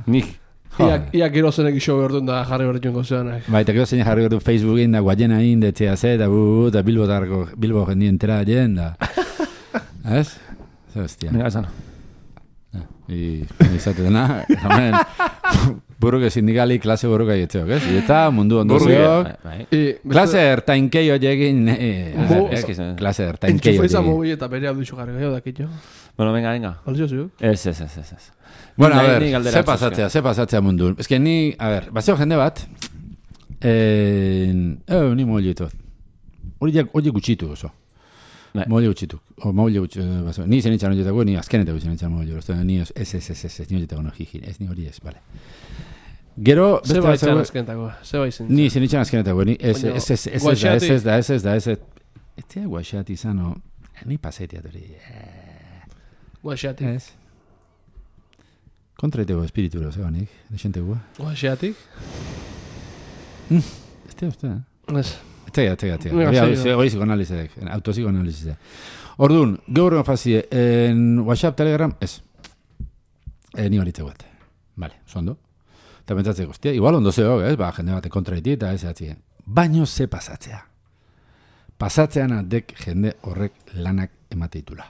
C: Nik.
A: Ia gero zenek iso behar duen da jarri behar duen gozeanak.
B: Bai, eta gero zein jarri behar Facebookin da guaiena da etxea da Bilbo jendien entera jen da. Ez? Zer hostia.
C: Mira, esan.
B: Izate dena, hemen buruke sindikali klase buruka jetzeok, ez? Eta mundu ondo zeok. Klase ertainkei oiekin... Klase ertainkei
A: Enchufa izan
B: oiekin.
A: mobi eta bere hau dixo garri gehiago dakit jo.
C: Bueno, venga.
A: Alzio ziuk?
C: Ez.
B: Bueno, a
C: Ni
B: ver,
C: galdera
B: ze pasatzea mundu. Ez que ni, a ver, bazeo jende bat, ni mollito. Hori gutxitu oso.
C: Bai.
B: Molle gutxitu. Ni zen itxan horietako, ni azkenetako zen itxan molle. Ni ez, ni horietako no jiji. Ez, ni hori ez, bale. Gero,
A: Ze baitzan azkenetako, ze baitzen.
B: ni zen itxan azkenetako, ni ez da. Ez tia guaxati izano, ni pasetiat hori.
A: Guaxeatik.
B: Ez. Kontraiteko espiritura, zegoenik, desenteko.
A: Guaxeatik?
B: Ez tia uste,
A: Ez.
B: Tega. Hori psikoanalizek, autopsikoanalizek. Orduan, gaur fazie, en WhatsApp, Telegram, ez. Ni horitze bat. Vale, zondo. Eta pentsatzeko, hostia, igual ondo zeok, ez? Ba, jende bate kontraiti eta ez atzien. Baino ze pasatzea. Pasatzean adek jende horrek lanak emateitula.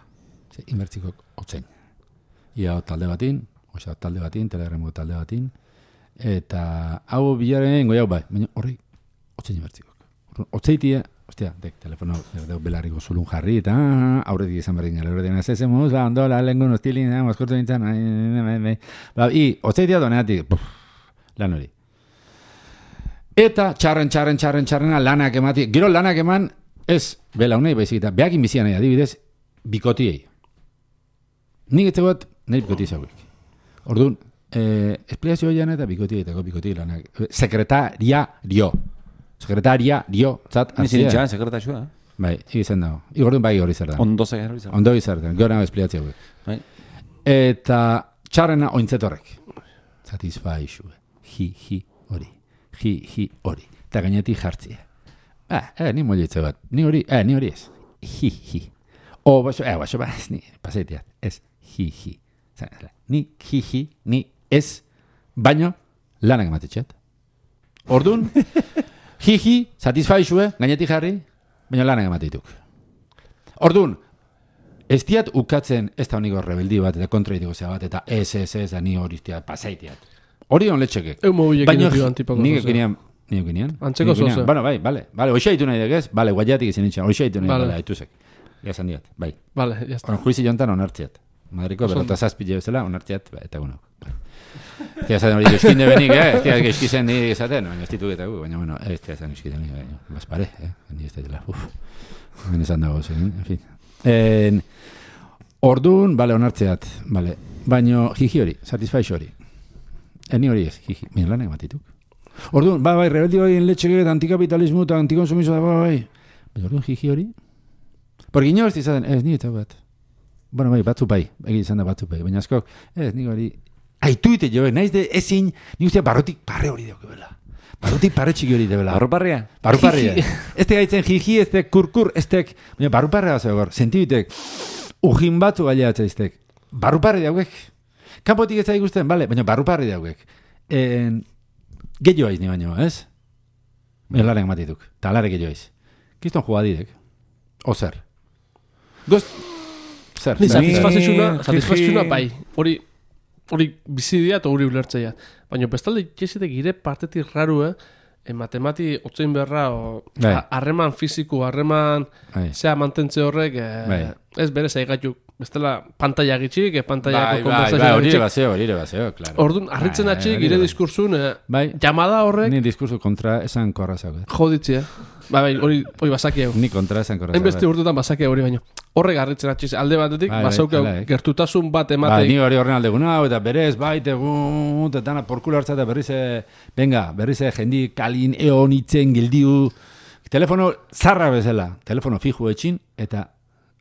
B: Ze, inbertzikok otzein. Ia talde batin, WhatsApp talde batin, Telegramo talde batin, eta hau bilaren goiau bai, baina horrek otzein inbertzikok. Otzeitia, hostia, dek telefono belarriko zulun jarri, eta aurretik izan berdin gara, aurretik ez ezemuz, ondola, lengun, ostilin, mozkortu nintzen, otzeitia doneatik, lan hori. Eta txarren lanak emati, gero lanak eman, ez, belaunei baizik, eta behakin bizian nahi, adibidez, bikotiei. Nik etze bat, nahi bikoti zauek. Orduan, esplikazio jana eta bikoti lanak. Sekretaria dio, zat,
C: Nizin itxan, sekretaxua.
B: Bai, izan dago. Igorduan bai hori zer da.
C: Ondo hori zer.
B: Ondo izan da, gero nago espliatzea hauek.
C: Bai.
B: Eta txarrena ointzetorrek. Satisfaixu. Hi hori. Eta gainetik jartzia. Ni mollitze bat. Ni hori ez. Hi. O, baso, ni paseitiat. Ez, hi. Ni hi, ni ez, baino lanak ematetxeat. Orduan, hi, satisfaixue, gainetik jarri, baina lanak emateituk. Orduan, ez diat ukatzen ez da honiko rebeldi bat, eta kontraitiko zea bat, eta ez, da ni hori iztiat, pasaitiat. Hori hon letxekek.
A: Eu mobilekin dut antipako
B: nik ekinean.
A: Antzeko zoze.
B: Bueno, bai, hoxaitu nahi degez, guaiatik izan itxan, hoxaitu nahi degez, haituzek. Gazan diat, bai.
A: Vale, jazta.
B: Juizi jontan onartziat. Madriko berrota zazpile bezala, onartziat, eta gunok. Tia esaten hori euskinde benik, tia euskizen ni esaten, baina ez dituketagu, baina, bueno, ez tia esan euskide benik, baina, bazpare, ni ez dela, baina esan dago zen, en fin. Orduan, bale, onartzeat, bale, baina jiji hori, satisfaixo hori. Ni hori ez, jiji, baina lanak matituk. Orduan, bai, rebeldi bai, letxeke, antikapitalismo eta antikonsumizo, bai, baina orduan jiji hori. Porque inoz izaten, ez, ni eta bat. Bueno, bai, batzu bai, izan da batzu bai, baina askok, ez, nik hori, aituite jo, naiz de ezin, nik ustea barrotik parre hori dauk ebela. Barrotik parre txiki hori debela.
C: Barruparria?
B: Barruparria. Ez te gaitzen jiji, ez te kurkur, ez te, baina barruparria bat zegor, sentibitek, ujin batzu gaileatza iztek. Barruparri dauek. Kampotik ez da ikusten, bale, baina barruparri dauek. Gehiago aiz ni baino, ez? Laren matituk, talare gehiago aiz. Kiston jugadidek. O zer. Goz, zer.
A: Ni satisfazioa bai. Hori bizidia eta hori ulertzea. Baina bestalde txesitek gire partetik raru, matemati otzein berra, harreman fiziko, harreman zea mantentze horrek, ez bere zaigatuk. Bestela pantalla gitxik, pantallako konversazioa gitxik.
B: Hori ere baseo, claro.
A: Orduan, harritzen atxik, gire diskursun, llamada horrek...
B: Ni diskursu kontra esan korrazak.
A: Joditzea. Bai, hori basaki hau.
B: Ni kontra esan korrazak.
A: Enbeste urtutan basaki hori baino. Horrek harritzen atxiz, alde batetik, basaukau gertutasun bat emateik.
B: Ni hori horren aldeguna, eta berez, tegun, eta porkulo hartza, eta berriz jendi kalin eonitzen gildiu. Telefono zarra bezala, telefono fijo etxin, eta...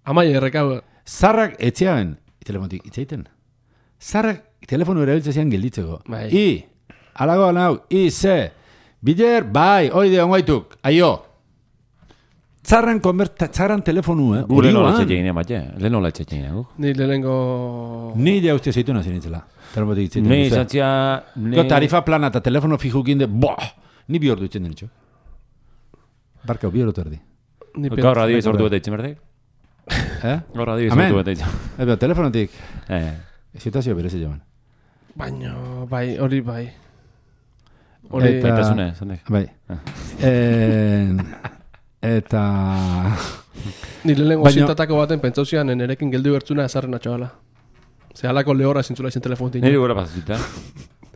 A: Amai errekau.
B: Zarrak etxean, telefonotik itzaiten. Zarrak telefono erabiltzean gelditzeko. Alago nau, ze, bider, bai, oide ongaituk, aio. Zarran telefonu,
C: Leheno latxetxein,
A: Ni lehenengo...
B: Ni ja uste zeitu nazien itzela. Telefonotik itzaiten.
C: Ni izantzia...
B: Tarifa plana eta telefono fijukin de, ni bi ordu itzen denitxo. Barkau, bi ordu erdi.
C: Gaur radio izortu eta itzen berdek? Gaur radio izortu eta itzen.
B: Telefonotik. Situazio berezi joan.
A: Baina, bai, hori bai. Hori,
B: Eta-
C: Baitasune, zanek.
B: Bai. Eta...
A: Ni lehenengo
B: Baina-
A: zintatako baten pentsauzian nerekin geldi bertzuna ezarren atxabala. Ze halako lehorra zintzula izan telefonetik.
C: Niri gora pasatzita.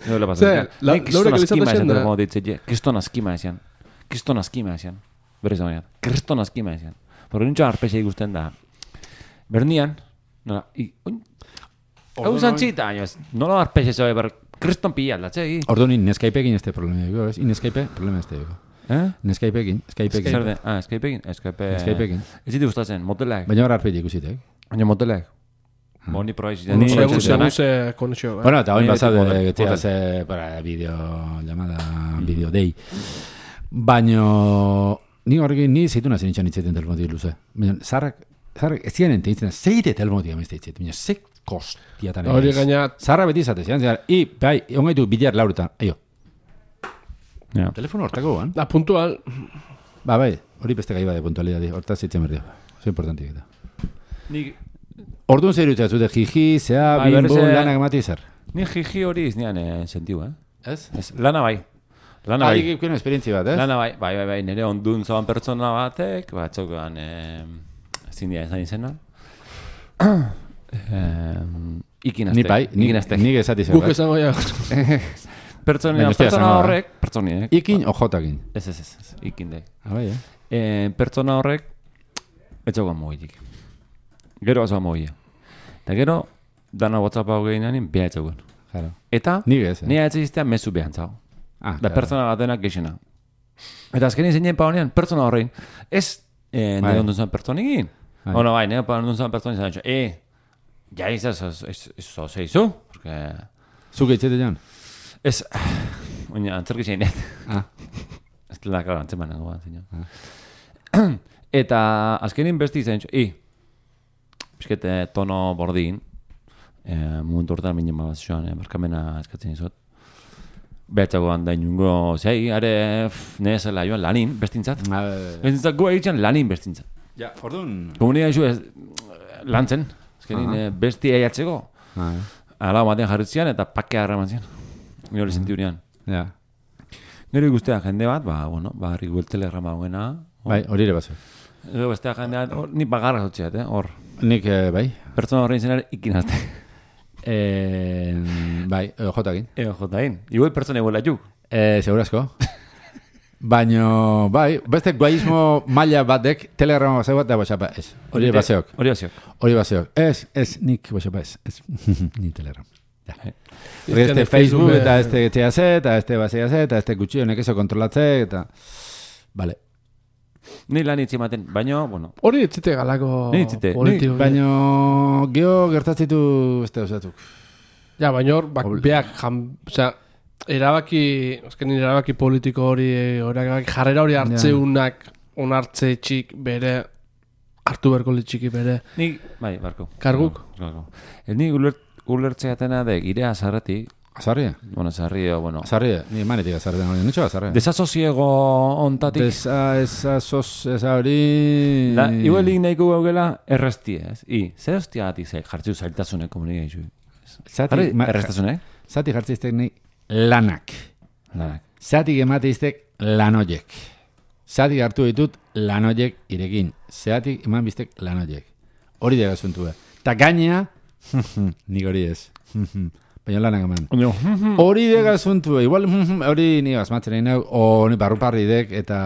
C: Niri gora
A: Ze,
C: pasatzita. Nik
A: laurek
C: kriston askima
A: elizatzen
C: esan
A: da.
C: telefono ditzetje. Kriston askima esan. Kriston askima esan. Berriz da kriston askima esan. Porque nintxo arpexe ikusten da. Bernian, nola, hau zantzita, nola arpexe zoe, kriston pila aldatze,
B: Ordu ni Nescapeekin este problema digo, ez? Nescape problema este digo. Nescapeekin, Skypeekin.
C: Zer den? Skypeekin?
B: Skypeekin.
C: Ez ziti gustatzen, motelak.
B: Baina hor arpegi ikusitek.
C: Baina motelak. Boni proa izan.
B: Ni-
A: Segun ze konexio.
B: Bueno, eta hoin
C: Ni
B: basade,
C: model-
B: que te
C: model.
B: hace para video llamada video day. Baino ni horrekin ni zeitu nazien itxan itzeten telefonotik luze. Baina zarrak ez ziren enteitzen, zeite telefonotik amezte itzeten. Baina ze kostiatan
A: Hori gaina,
B: Zarra beti izate, zian zian. Bai, ongaitu bilar lauretan. Aio,
C: Ja.
B: telefono hortako guan.
A: da puntual,
B: Bai, hori beste gai bade puntualidadi. Hortaz zitzen berdio. Zo importantik eta.
C: Nik
B: Orduan zer dut zute jiji, zea,
C: Bai,
B: bimbo,
C: berriz,
B: lanak mati zer.
C: Ni jiji hori iznean sentiu,
B: Ez?
C: Ez, lana bai. Lana bai.
B: Bai, esperientzi bat, ez?
C: Lana bai, nire ondun zoan pertsona batek, batzokan, ezin dira esan izena. Ikinaztek.
B: Ni bai, nik esati zer,
A: guk
B: bai.
A: esango ja.
B: Baina ez da esango da.
C: horrek, pertsoniek.
B: Ikin o jotakin.
C: Ez, ikin de.
B: Bai,
C: Pertsona horrek, etxaukan mugitik. Gero bazoa mugia. Eta gero, dana WhatsApp hau gehianin, beha etxaukan.
B: Claro.
C: Eta,
B: Nik ez,
C: nire etxiztea mezu behan zau.
B: Ah,
C: Da pertsona batenak gexena. Eta azkenin zeinen pa honean, pertsona horrein, ez nire ondun zuen pertsonikin.
B: Bai.
C: Bueno, bai, nire ondun zuen pertsonikin zan, ja eso zeizu, porque...
B: Zuke itxete jan?
C: Ez, oina, antzerki zein net.
B: Ah.
C: Ez dela, claro, antzeman nago bat, zein. Eta azkenin besti izan, pixkete tono bordin, momentu hortan minen bat zoan, barkamena eskatzen izot. Behatxagoan da inungo, zei, are, nezela joan lanin, bestintzat. Bestintzat goa egiten lanin bestintzat.
B: Ja, orduan...
C: Komunika izu ez, lantzen, azkenin besti eiatzeko. Ala batean jarritzean eta pakea harraman zian. Ni hori sentiunean.
B: Ja.
C: Gero ikustea jende bat, harrik telegrama hoena.
B: Bai, hori ere bazo.
C: Gero bestea jende bat, ni bagarra zotxeat, hor.
B: Nik, bai.
C: Pertsona horrein zenar ikinazte.
B: Bai, jotakin.
C: Jotain. Igual pertsona iguela juk.
B: Segurazko. Baino, bai, beste guaismo maila batek telegrama baseo bat da WhatsAppa, ez. Hori baseok. Hori baseok. Ez, nik WhatsAppa ez. Ni telegrama. Ja. Este Facebook eta este THC eta este basea eta este gutxi honek eso kontrolatze eta... Vale.
C: Ni lan itzi maten, baino, bueno.
A: Hori etzite galako
C: Ni etzite,
A: politiko.
B: Baino, geho gertatzitu beste osatuk.
A: Ja, baina hor, beak, osea, erabaki politiko hori, jarrera hori hartzeunak, onartze txik bere, hartu berko litxiki bere.
C: Nik, bai, barko.
A: Karguk?
C: Ni ulertzeatena de girea azarretik.
B: Azarria?
C: Bueno, azarria, bueno.
B: Azarria, ni manetik azarria, nintxo azarria.
C: Desasosiego ontatik.
B: Esa hori...
C: Iguelik nahiko gaugela errestie, ez? Zer hostia batik ze jartzu zailtasunek komunikaizu. Errestasunek?
B: Zati jartziztek nahi lanak. Zati emateiztek lanoiek. Zati hartu ditut lanoiek irekin. Zati eman biztek lanoiek. Hori daga zuntu behar. Ta gainea, nik hori ez. Baina lanak eman. Hori daga zuntu behar. Igual hori ni asmatzen nahi, o ni barruparri dek eta...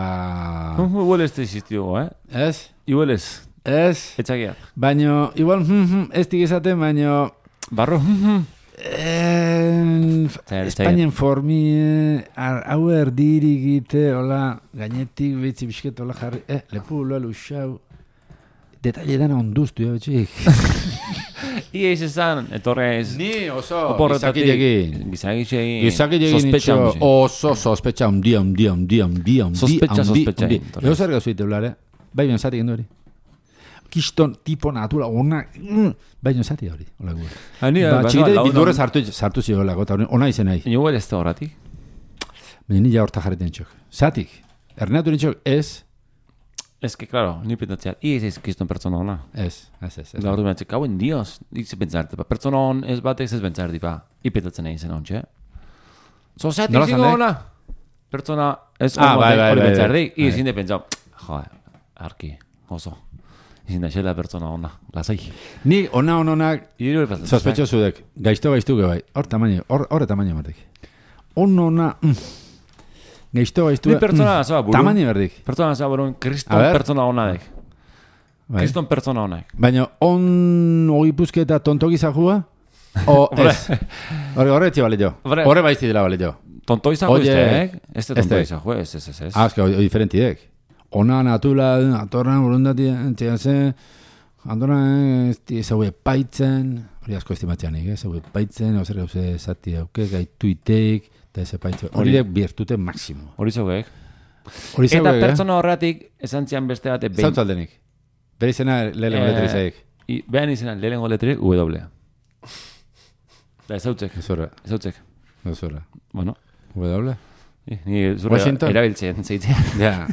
C: Igual ez da existio,
B: Ez?
C: Igual ez.
B: Ez?
C: Etxakia.
B: Baina, igual ez dik esaten, baina...
C: Barro.
B: Espainien formi hau erdirik gite, hola, gainetik betzi bisket, hola jarri, lepu, loa, luxau, detalle dana onduztu, betxik.
C: Ia izan, etorrez.
B: Ni oso, gizakilekin.
C: Gizakilekin.
B: Oso sospetxa, undia.
C: Sospetxa.
B: Ego zer gauzuite, blare? Bai, bion zati gendu hori. Kiston tipo natura, ona, baina zati hori, hola gu. Txikite bildurrez sartu zioelako, eta ona izen nahi.
C: Igual ez da horatik.
B: Baina nila horta jarretan txok. Zatik, ernatu nintxok ez,
C: Ez que, claro, ni pentsatzea, ez kiston pertsona ona.
B: Ez.
C: Gaur du mentzik, hauen dios, itse pentsarte, pertsona on ez batek ez pentsarte, ipetatzen egin zen ontxe. Zozeatik
B: Nola
C: zingo
B: zan
C: ona. Pertsona ez
B: bai,
C: hori
B: bai.
C: pentsardik, izin de pentsau, arki, oso. Izin da xela pertsona ona, lasai.
B: Ni onak
C: Iru epazten.
B: sospechosudek, gaiztuke bai. Hor tamaño mardik. Ona, gaiztuke.
C: Ni pertsona zaba buru.
B: Tamaño berdik.
C: Pertsona zaba buru, kriston
B: A ver.
C: pertsona onadek.
B: Bai.
C: Kriston pertsona onak.
B: Baina ogipuzke eta tontoki zahua? O ez? Horre etxe bale jo.
C: Hombre.
B: Horre baizti dela bale jo.
C: Tonto izako
B: Oye,
C: izteek? Ez
B: este.
C: tonto izako, ez.
B: Ez que diferentiek. Ona natula, atorran, burundati, txegase, atorran, zau epaitzen, hori asko estimatzeanik, zau epaitzen, hau zer gauze zati dauke, gaituiteik, eta ez epaitzen. Hori dek birtute maksimo.
C: Hori zauek.
B: Hori
C: Eta
B: zauek,
C: pertsona horretik, esan zian beste bat,
B: Zautzaldenik. Bere izena lehenengo letrizaik.
C: Behan izena, lehenengo letrik, W. Da, ez hautzek.
B: Ez horra.
C: Bueno,
B: W.
C: ni zure
B: Washington?
C: erabiltzen zeitzea.
B: Ja.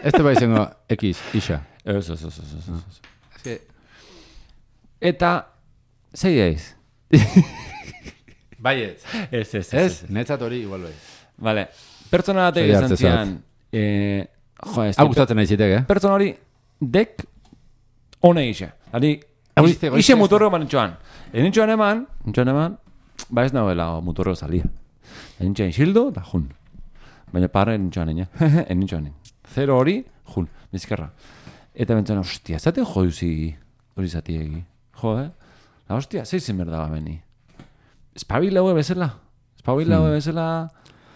B: Este bai zengo X, isa.
C: Ez. Eta, zei eiz?
B: Baiet.
C: Ez.
B: Netzat hori igual bai.
C: Vale. Pertsona batek
B: Zei
C: esan
B: hartze
C: zian,
B: Hau gustatzen nahi zitek,
C: pertsona hori dek one ise. Ari,
B: Goizte.
C: ise motorro manitxoan. Enintxoan eman, ba ez nagoela motorro salia. Enintxoan xildo, da jun. Baina parra enintxoan ene. Enintxoan ene. Zero hori, jun, bizkarra. Eta bentzana, ostia, zaten joduzi hori zatiegi. La hostia, zeizen berda beni. Espabila hue bezala.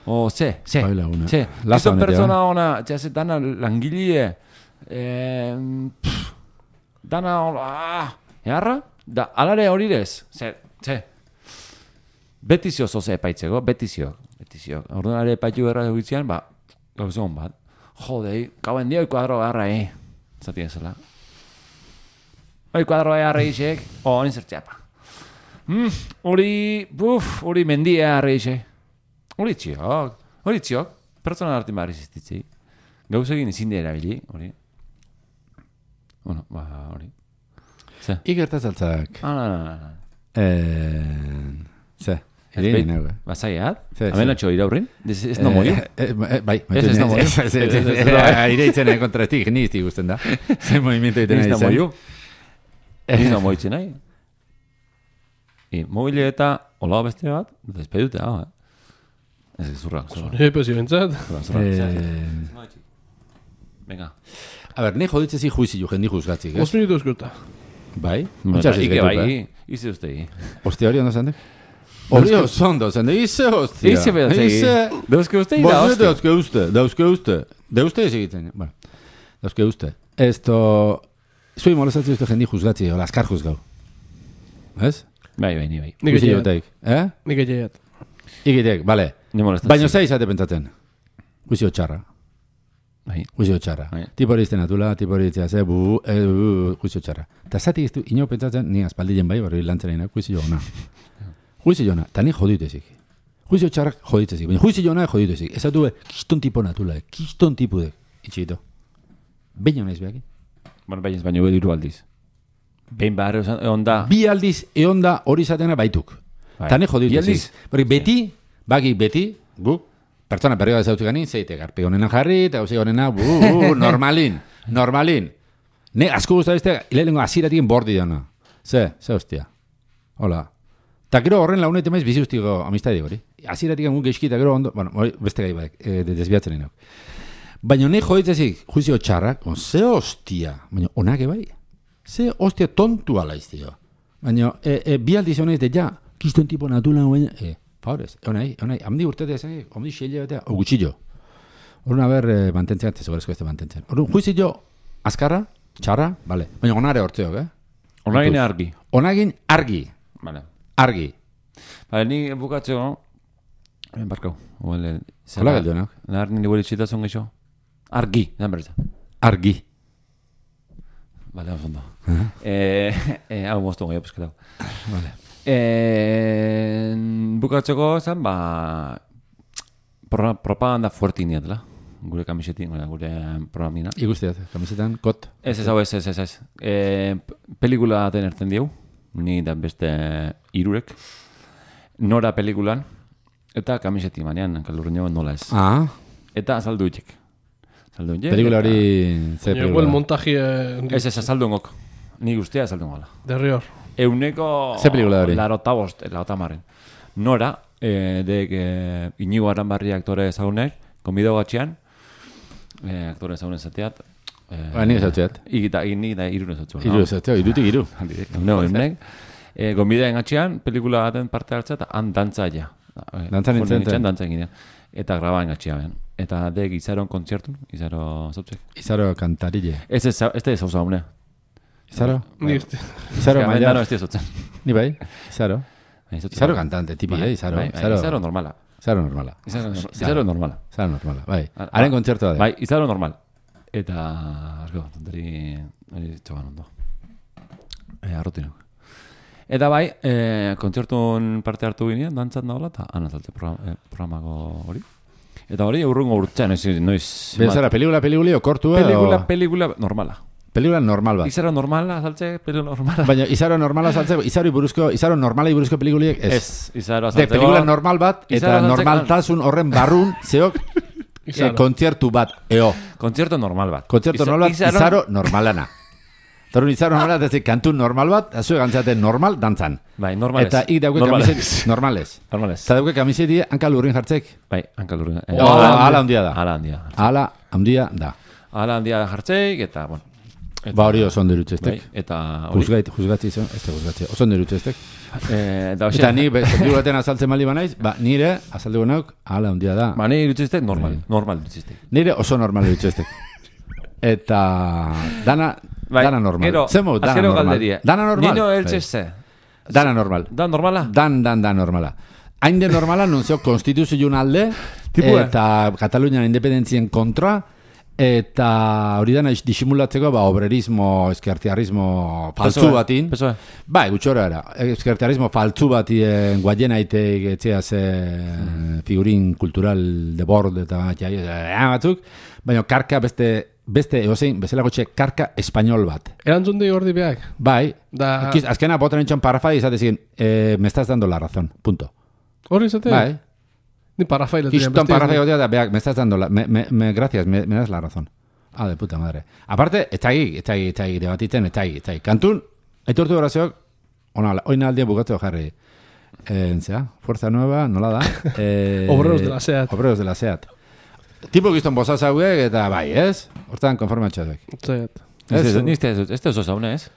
C: O, ze.
B: Espabila hue.
C: Ze.
B: Laza
C: Kriston
B: honetia.
C: pertsona ona, txase dana langilie, dana, eharra, da, alare hori dez. Ze. Betizio zoze epaitzeko, betizio. Orduan are epaitu berra egitzean, ba, gauze hon bat. Jodei, gauen dio kuadro beharra, zati ezela. Hori kuadro beharra isek, hori zertzeapa. Hori mendia beharra isek. Hori txiok, pertsona hartin behar iziztitzi. Gauze egin izin dira erabili, hori. Bueno, ba, hori. Ze?
B: Ikertazaltzak. Ze. Irein nago.
C: Bazaiat?
B: Ze.
C: Amenatxo iraurrin? Ez no moio?
B: Bai.
C: Ez no moio?
B: Ireitzen kontrastik, ni izti guztien da. Zer movimiento egiten
C: Ez
B: nahi
C: no
B: zen.
C: moio? Ez no moitzen nahi? Mobile eta hola beste bat, despedute, Ez zurra.
A: Pues bentsat.
C: Venga.
B: A ber, ni joditzezi juizi jo, jendi juzgatzik,
A: 5 minutu eskuta.
B: Bai?
C: Ike bai, ize ustei.
B: Ostia hori ondo zandek? Hori ondo zandek, ize hostia.
C: Ize bedatzegi. Dauzke ustei da,
B: Bos,
C: hostia.
B: dauzke uste. Dauzke ez egiten. Bueno, dauzke uste. Esto... Zui molestatzen uste jendi juzgatzi, hola, askar juzgau. Ez?
C: Bai, ni bai.
A: Nik
B: Juizi
A: etxeat.
B: jotaik.
A: Nik etxeat.
B: Ikitek, bale.
C: Ni molestatzen.
B: Baina zei izate pentsatzen. Juizio txarra.
C: Bai.
B: Juizio txarra.
C: Bai.
B: Tipo hori izten atula, tipo hori iztea ze, juizio txarra. Ta zati iztu, ino pentsatzen, ni aspaldien bai, barri lantzen egin, juizio ona. Juizio ona, ta ni joditezik. Juizio txarrak joditezik, baina juizio ona joditezik. Ez atu, kiston tipo natula, kiston tipo de. Itxito. Behin honaiz behaki.
C: Bueno, baina ez baino hiru aldiz. Behin behar onda.
B: Bi aldiz eonda hori izatena baituk.
C: Bai.
B: Ta ni
C: Bi
B: joditezik.
C: aldiz?
B: Beti, gu, pertsona perioa ezautu ganin, zeite garpi honena jarri, eta gauzi honena, normalin. Ne, asko guztabizte, ilelengo aziratik bordi dena. Ze hostia. Hola. Ta gero horren launet emaiz bizi ustiko amistadi hori. Aziratik gu geizki, eta gero ondo, bueno, beste gai badek, desbiatzen egin. Baina ne joditzezik, juizio txarrak, ze hostia. Baina onake bai. Ze hostia tontu ala iztio. Baina, bi aldiz honez de ja, kiston tipo natula, baina, favorez, honai, hamdi urtete esan, hamdi xeile batea, gutxillo. Horren haber, mantentzen, segurezko ez mantentzen. Horren, juizio, azkarra, txarra, bale. Baina onare hortzeok,
C: Onagin argi.
B: Onagin argi.
C: Vale.
B: Argi.
C: Bale, ni bukatzeko, barkau.
B: Hola galduenak.
C: Nahar nire gure txitasun geixo. Argi, dan berza.
B: Argi.
C: Vale, ondo. Hau moztu goi, apesketau.
B: Vale.
C: Bukatzeko zen, ba... Propaganda fuerte iniatela. gure kamisetin, gure programina.
B: Ikustiat, kamisetan, kot.
C: Ez. Pelikula baten erten diegu, ni da beste hirurek. Nora pelikulan, eta kamisetin banean, kalurreño nola ez.
B: Ah,
C: Eta azaldu itxek.
B: pelikula hori, ze
A: Llegó el
B: pelikula.
A: montaje
C: Ez azaldu ngok. Ni guztia azaldu ngola.
A: de Rior.
C: Euneko...
B: Ze pelikula hori?
C: Larotamarren. Nora, Inigo Aranbarri aktore ezagunek, konbideo gatxean, aktore ezagunen zateat,
B: Ni esatzeat.
C: Ni da irune zatzua.
B: Iru esatzeat, irutik iru.
C: No, emnek. Gonbideen gatxean, pelikula baten parte hartzea, eta han dantzaia.
B: Dantzan nintzen.
C: Dantzan ginean. Eta grabaen gatxean. Eta de Izaron kontzertun, Izaro zautzek.
B: Izaro kantarile.
C: Ez da ez hau zaune.
B: Izaro?
A: Ni este.
B: Izaro
C: No,
B: maila.
C: ez dira
B: Ni bai, Izaro. Izaro cantante, tipi, Izaro.
C: Izaro normala.
B: Izaro normala.
C: Izaro normala.
B: Izaro normala, bai. Haren kontzertua da.
C: Bai, Izaro normal. Eta, asko, tonteri txogan ondo. Arrotinok. Eta bai, kontzertun parte hartu ginean, dantzat nagoela, eta anazaltze programako hori. Eta hori, urrungo urtzean, noiz...
B: Bezara, pelikuli okortua
C: Pelikula normala.
B: Pelikula normal bat.
C: Izaro normala, azaltze, pelikula normala.
B: Baina, Izaro normala azaltzeko, Izaro normalai buruzko pelikuliek ez.
C: Ez, Izaro
B: De,
C: azaltzeko...
B: pelikula normal bat,
C: Izaro
B: eta
C: azaltzeko-
B: normaltasun horren barrun, zeok,
A: Izaro.
B: kontzertu bat, eo.
C: Kontzerto normal bat.
B: Kontzertu normal bat, Izaro normalana. Torun Izaro normala, ez kantu normal bat, azue gantzaten normal dantzan.
C: Bai, normales.
B: Eta ik dauke kamiset normales.
C: Normales.
B: Eta dauke kamiseti hanka lurrin jartzek.
C: Bai, hankalurren.
B: Ala handia da.
C: Ala handia.
B: Ala handia da.
C: Ala handia jartzeik, eta, bueno. Eta,
B: Ba hori oso ondo irutzeztek.
C: Bai, eta hori.
B: Juzgatzi izan, ez da juzgatzi. Oso ondo irutzeztek.
C: Eta hoxe.
B: Eta ni, pelikulaten azaltzen mali banaiz, ba, nire, azalduko nauk, ala handia da.
C: Ba, nahi irutzizte, normal. Normal irutzizte.
B: Nire oso normal irutzeztek. Eta dana normal.
C: Gero,
B: Zemo, dana
C: azkero
B: normal.
C: galderie.
B: Dana normal.
C: Nino
B: Bai.
C: eltxezze.
B: Dana normal.
C: Da normala?
B: Dan normala. Hain de normala, non zeo konstituzioen alde,
C: Tipua.
B: eta Katalunian independentzien kontra, eta hori dana disimulatzeko, ba, obrerismo, eskertiarrismo faltzu batin.
C: Pesoe.
B: Bai, gutxora era. Eskertiarrismo faltzu batien guaienaiteik etxea ze figurin kultural de bord eta batzuk, baina karka beste eozein, bezalako txe karka espainol bat.
A: Erantzun di gordi beak.
B: Bai,
A: Da...
B: azkena botan entxon parrafa izatezin, me estás dando la razón, punto.
A: Hori izate?
B: Bai,
A: Ni parrafaila.
B: kiston parrafa egotea da, beak, me estás dando la, gracias, me das la razón. Ah, de puta madre. Aparte, etxagi, debatitzen, etxagi. Kantun, aitortu horazeok, oina aldien bukatu jarri. Entzea, Fuerza Nueva, nola da?
A: Obreros de la SEAT.
B: Obreros de la SEAT. Tipo gizton bozaz hauek, eta bai, ez? Hortan konformatxatuek.
A: Zaiat.
C: Este oso zaune, ez?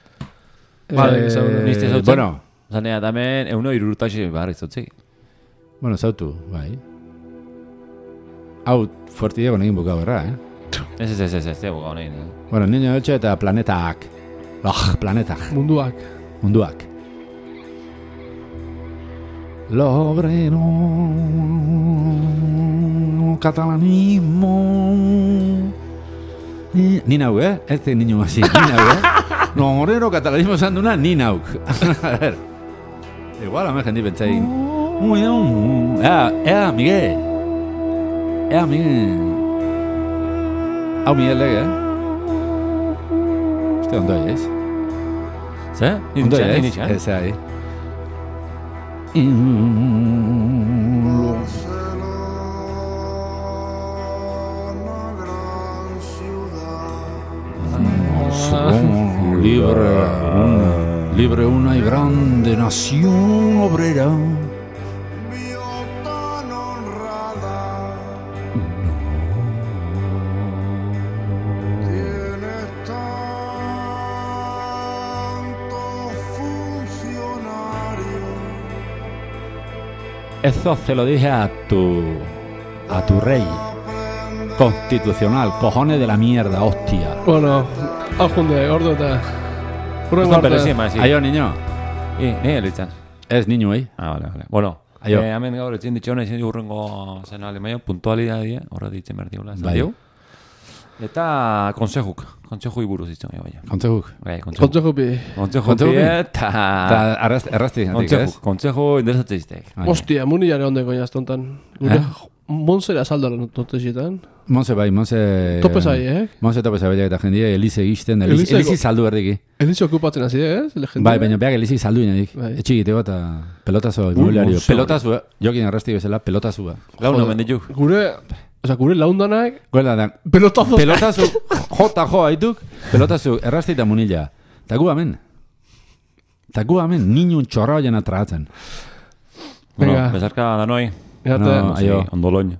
A: Vale, zaune.
C: Niste zautzen.
B: Bueno,
C: Zanea, damen, euno irurtaxe barri zautzei.
B: bueno, zautu, bai. Hau, fuerti dago negin bukau erra,
C: Ez, buka honein.
B: Bueno, niño eltxe eta planetak. Planetak.
A: Munduak.
B: Munduak. L'obrero catalanismo. Ni nau, ez de niño hasi, ni nau, L'obrero catalanismo esan duna, ni nauk. A ver. Igual, hame jendi pentsain. Miguel. Miguel. Hau Miguel lege, Uste ondoi, ez?
C: Ze?
B: Ondoi, ez?
C: Nintxan?
B: Ez, ahí. Libre una y grande nación obrera. Eso se lo dije a tu rey constitucional, cojones de la mierda, hostia.
A: Bueno, hau junde, ordu eta... Urrengo
C: Pero
A: arte.
C: sí, más, sí.
B: Aio, niño.
C: Ni elitzan.
B: Ez niño, eh?
C: Vale. Bueno,
B: Aio.
C: hemen gaur etzin ditxona izan urrengo zena alemaio, puntualidadea, horra ditzen berdiula.
B: Bai.
C: Eta konsejuk buruz ditzen, bai.
B: Kontzeguk.
C: Bai, konsejuk.
A: Kontzejo bi.
C: Konsejuk
B: Kontsejuk bi.
C: eta...
B: Eta errazti, handik, ez?
C: Konseju interesatzen izteik.
B: Bai.
A: Ostia, munilare onden goinaz tontan. Gure Monzera saldo notesietan.
B: Monse bai, Monse...
A: Tope zai,
B: Monse tope zai, eta jendia Elize gizten,
A: Elize-
B: Elizi saldu erdiki.
A: Elize okupatzen hasi, ez?
B: Bai, baina beak Elizi saldu inadik.
A: Bai.
B: Etxigiteko eta pelotazo, inmobiliario.
C: Monse.
B: Pelotazu, jokin arrasti bezala, pelotazua.
C: Launa menditu.
A: Gure laundanak,
B: Guela da,
A: pelotazo.
B: pelotazu, jota jo haituk, pelotazu, errasti eta munila. Ta gu hemen. Ta gu hemen, ninun txorra jena tratzen.
A: Venga.
C: Bueno, bezarka danoi.
A: Gata.
B: No, aio.
C: Ondoloin.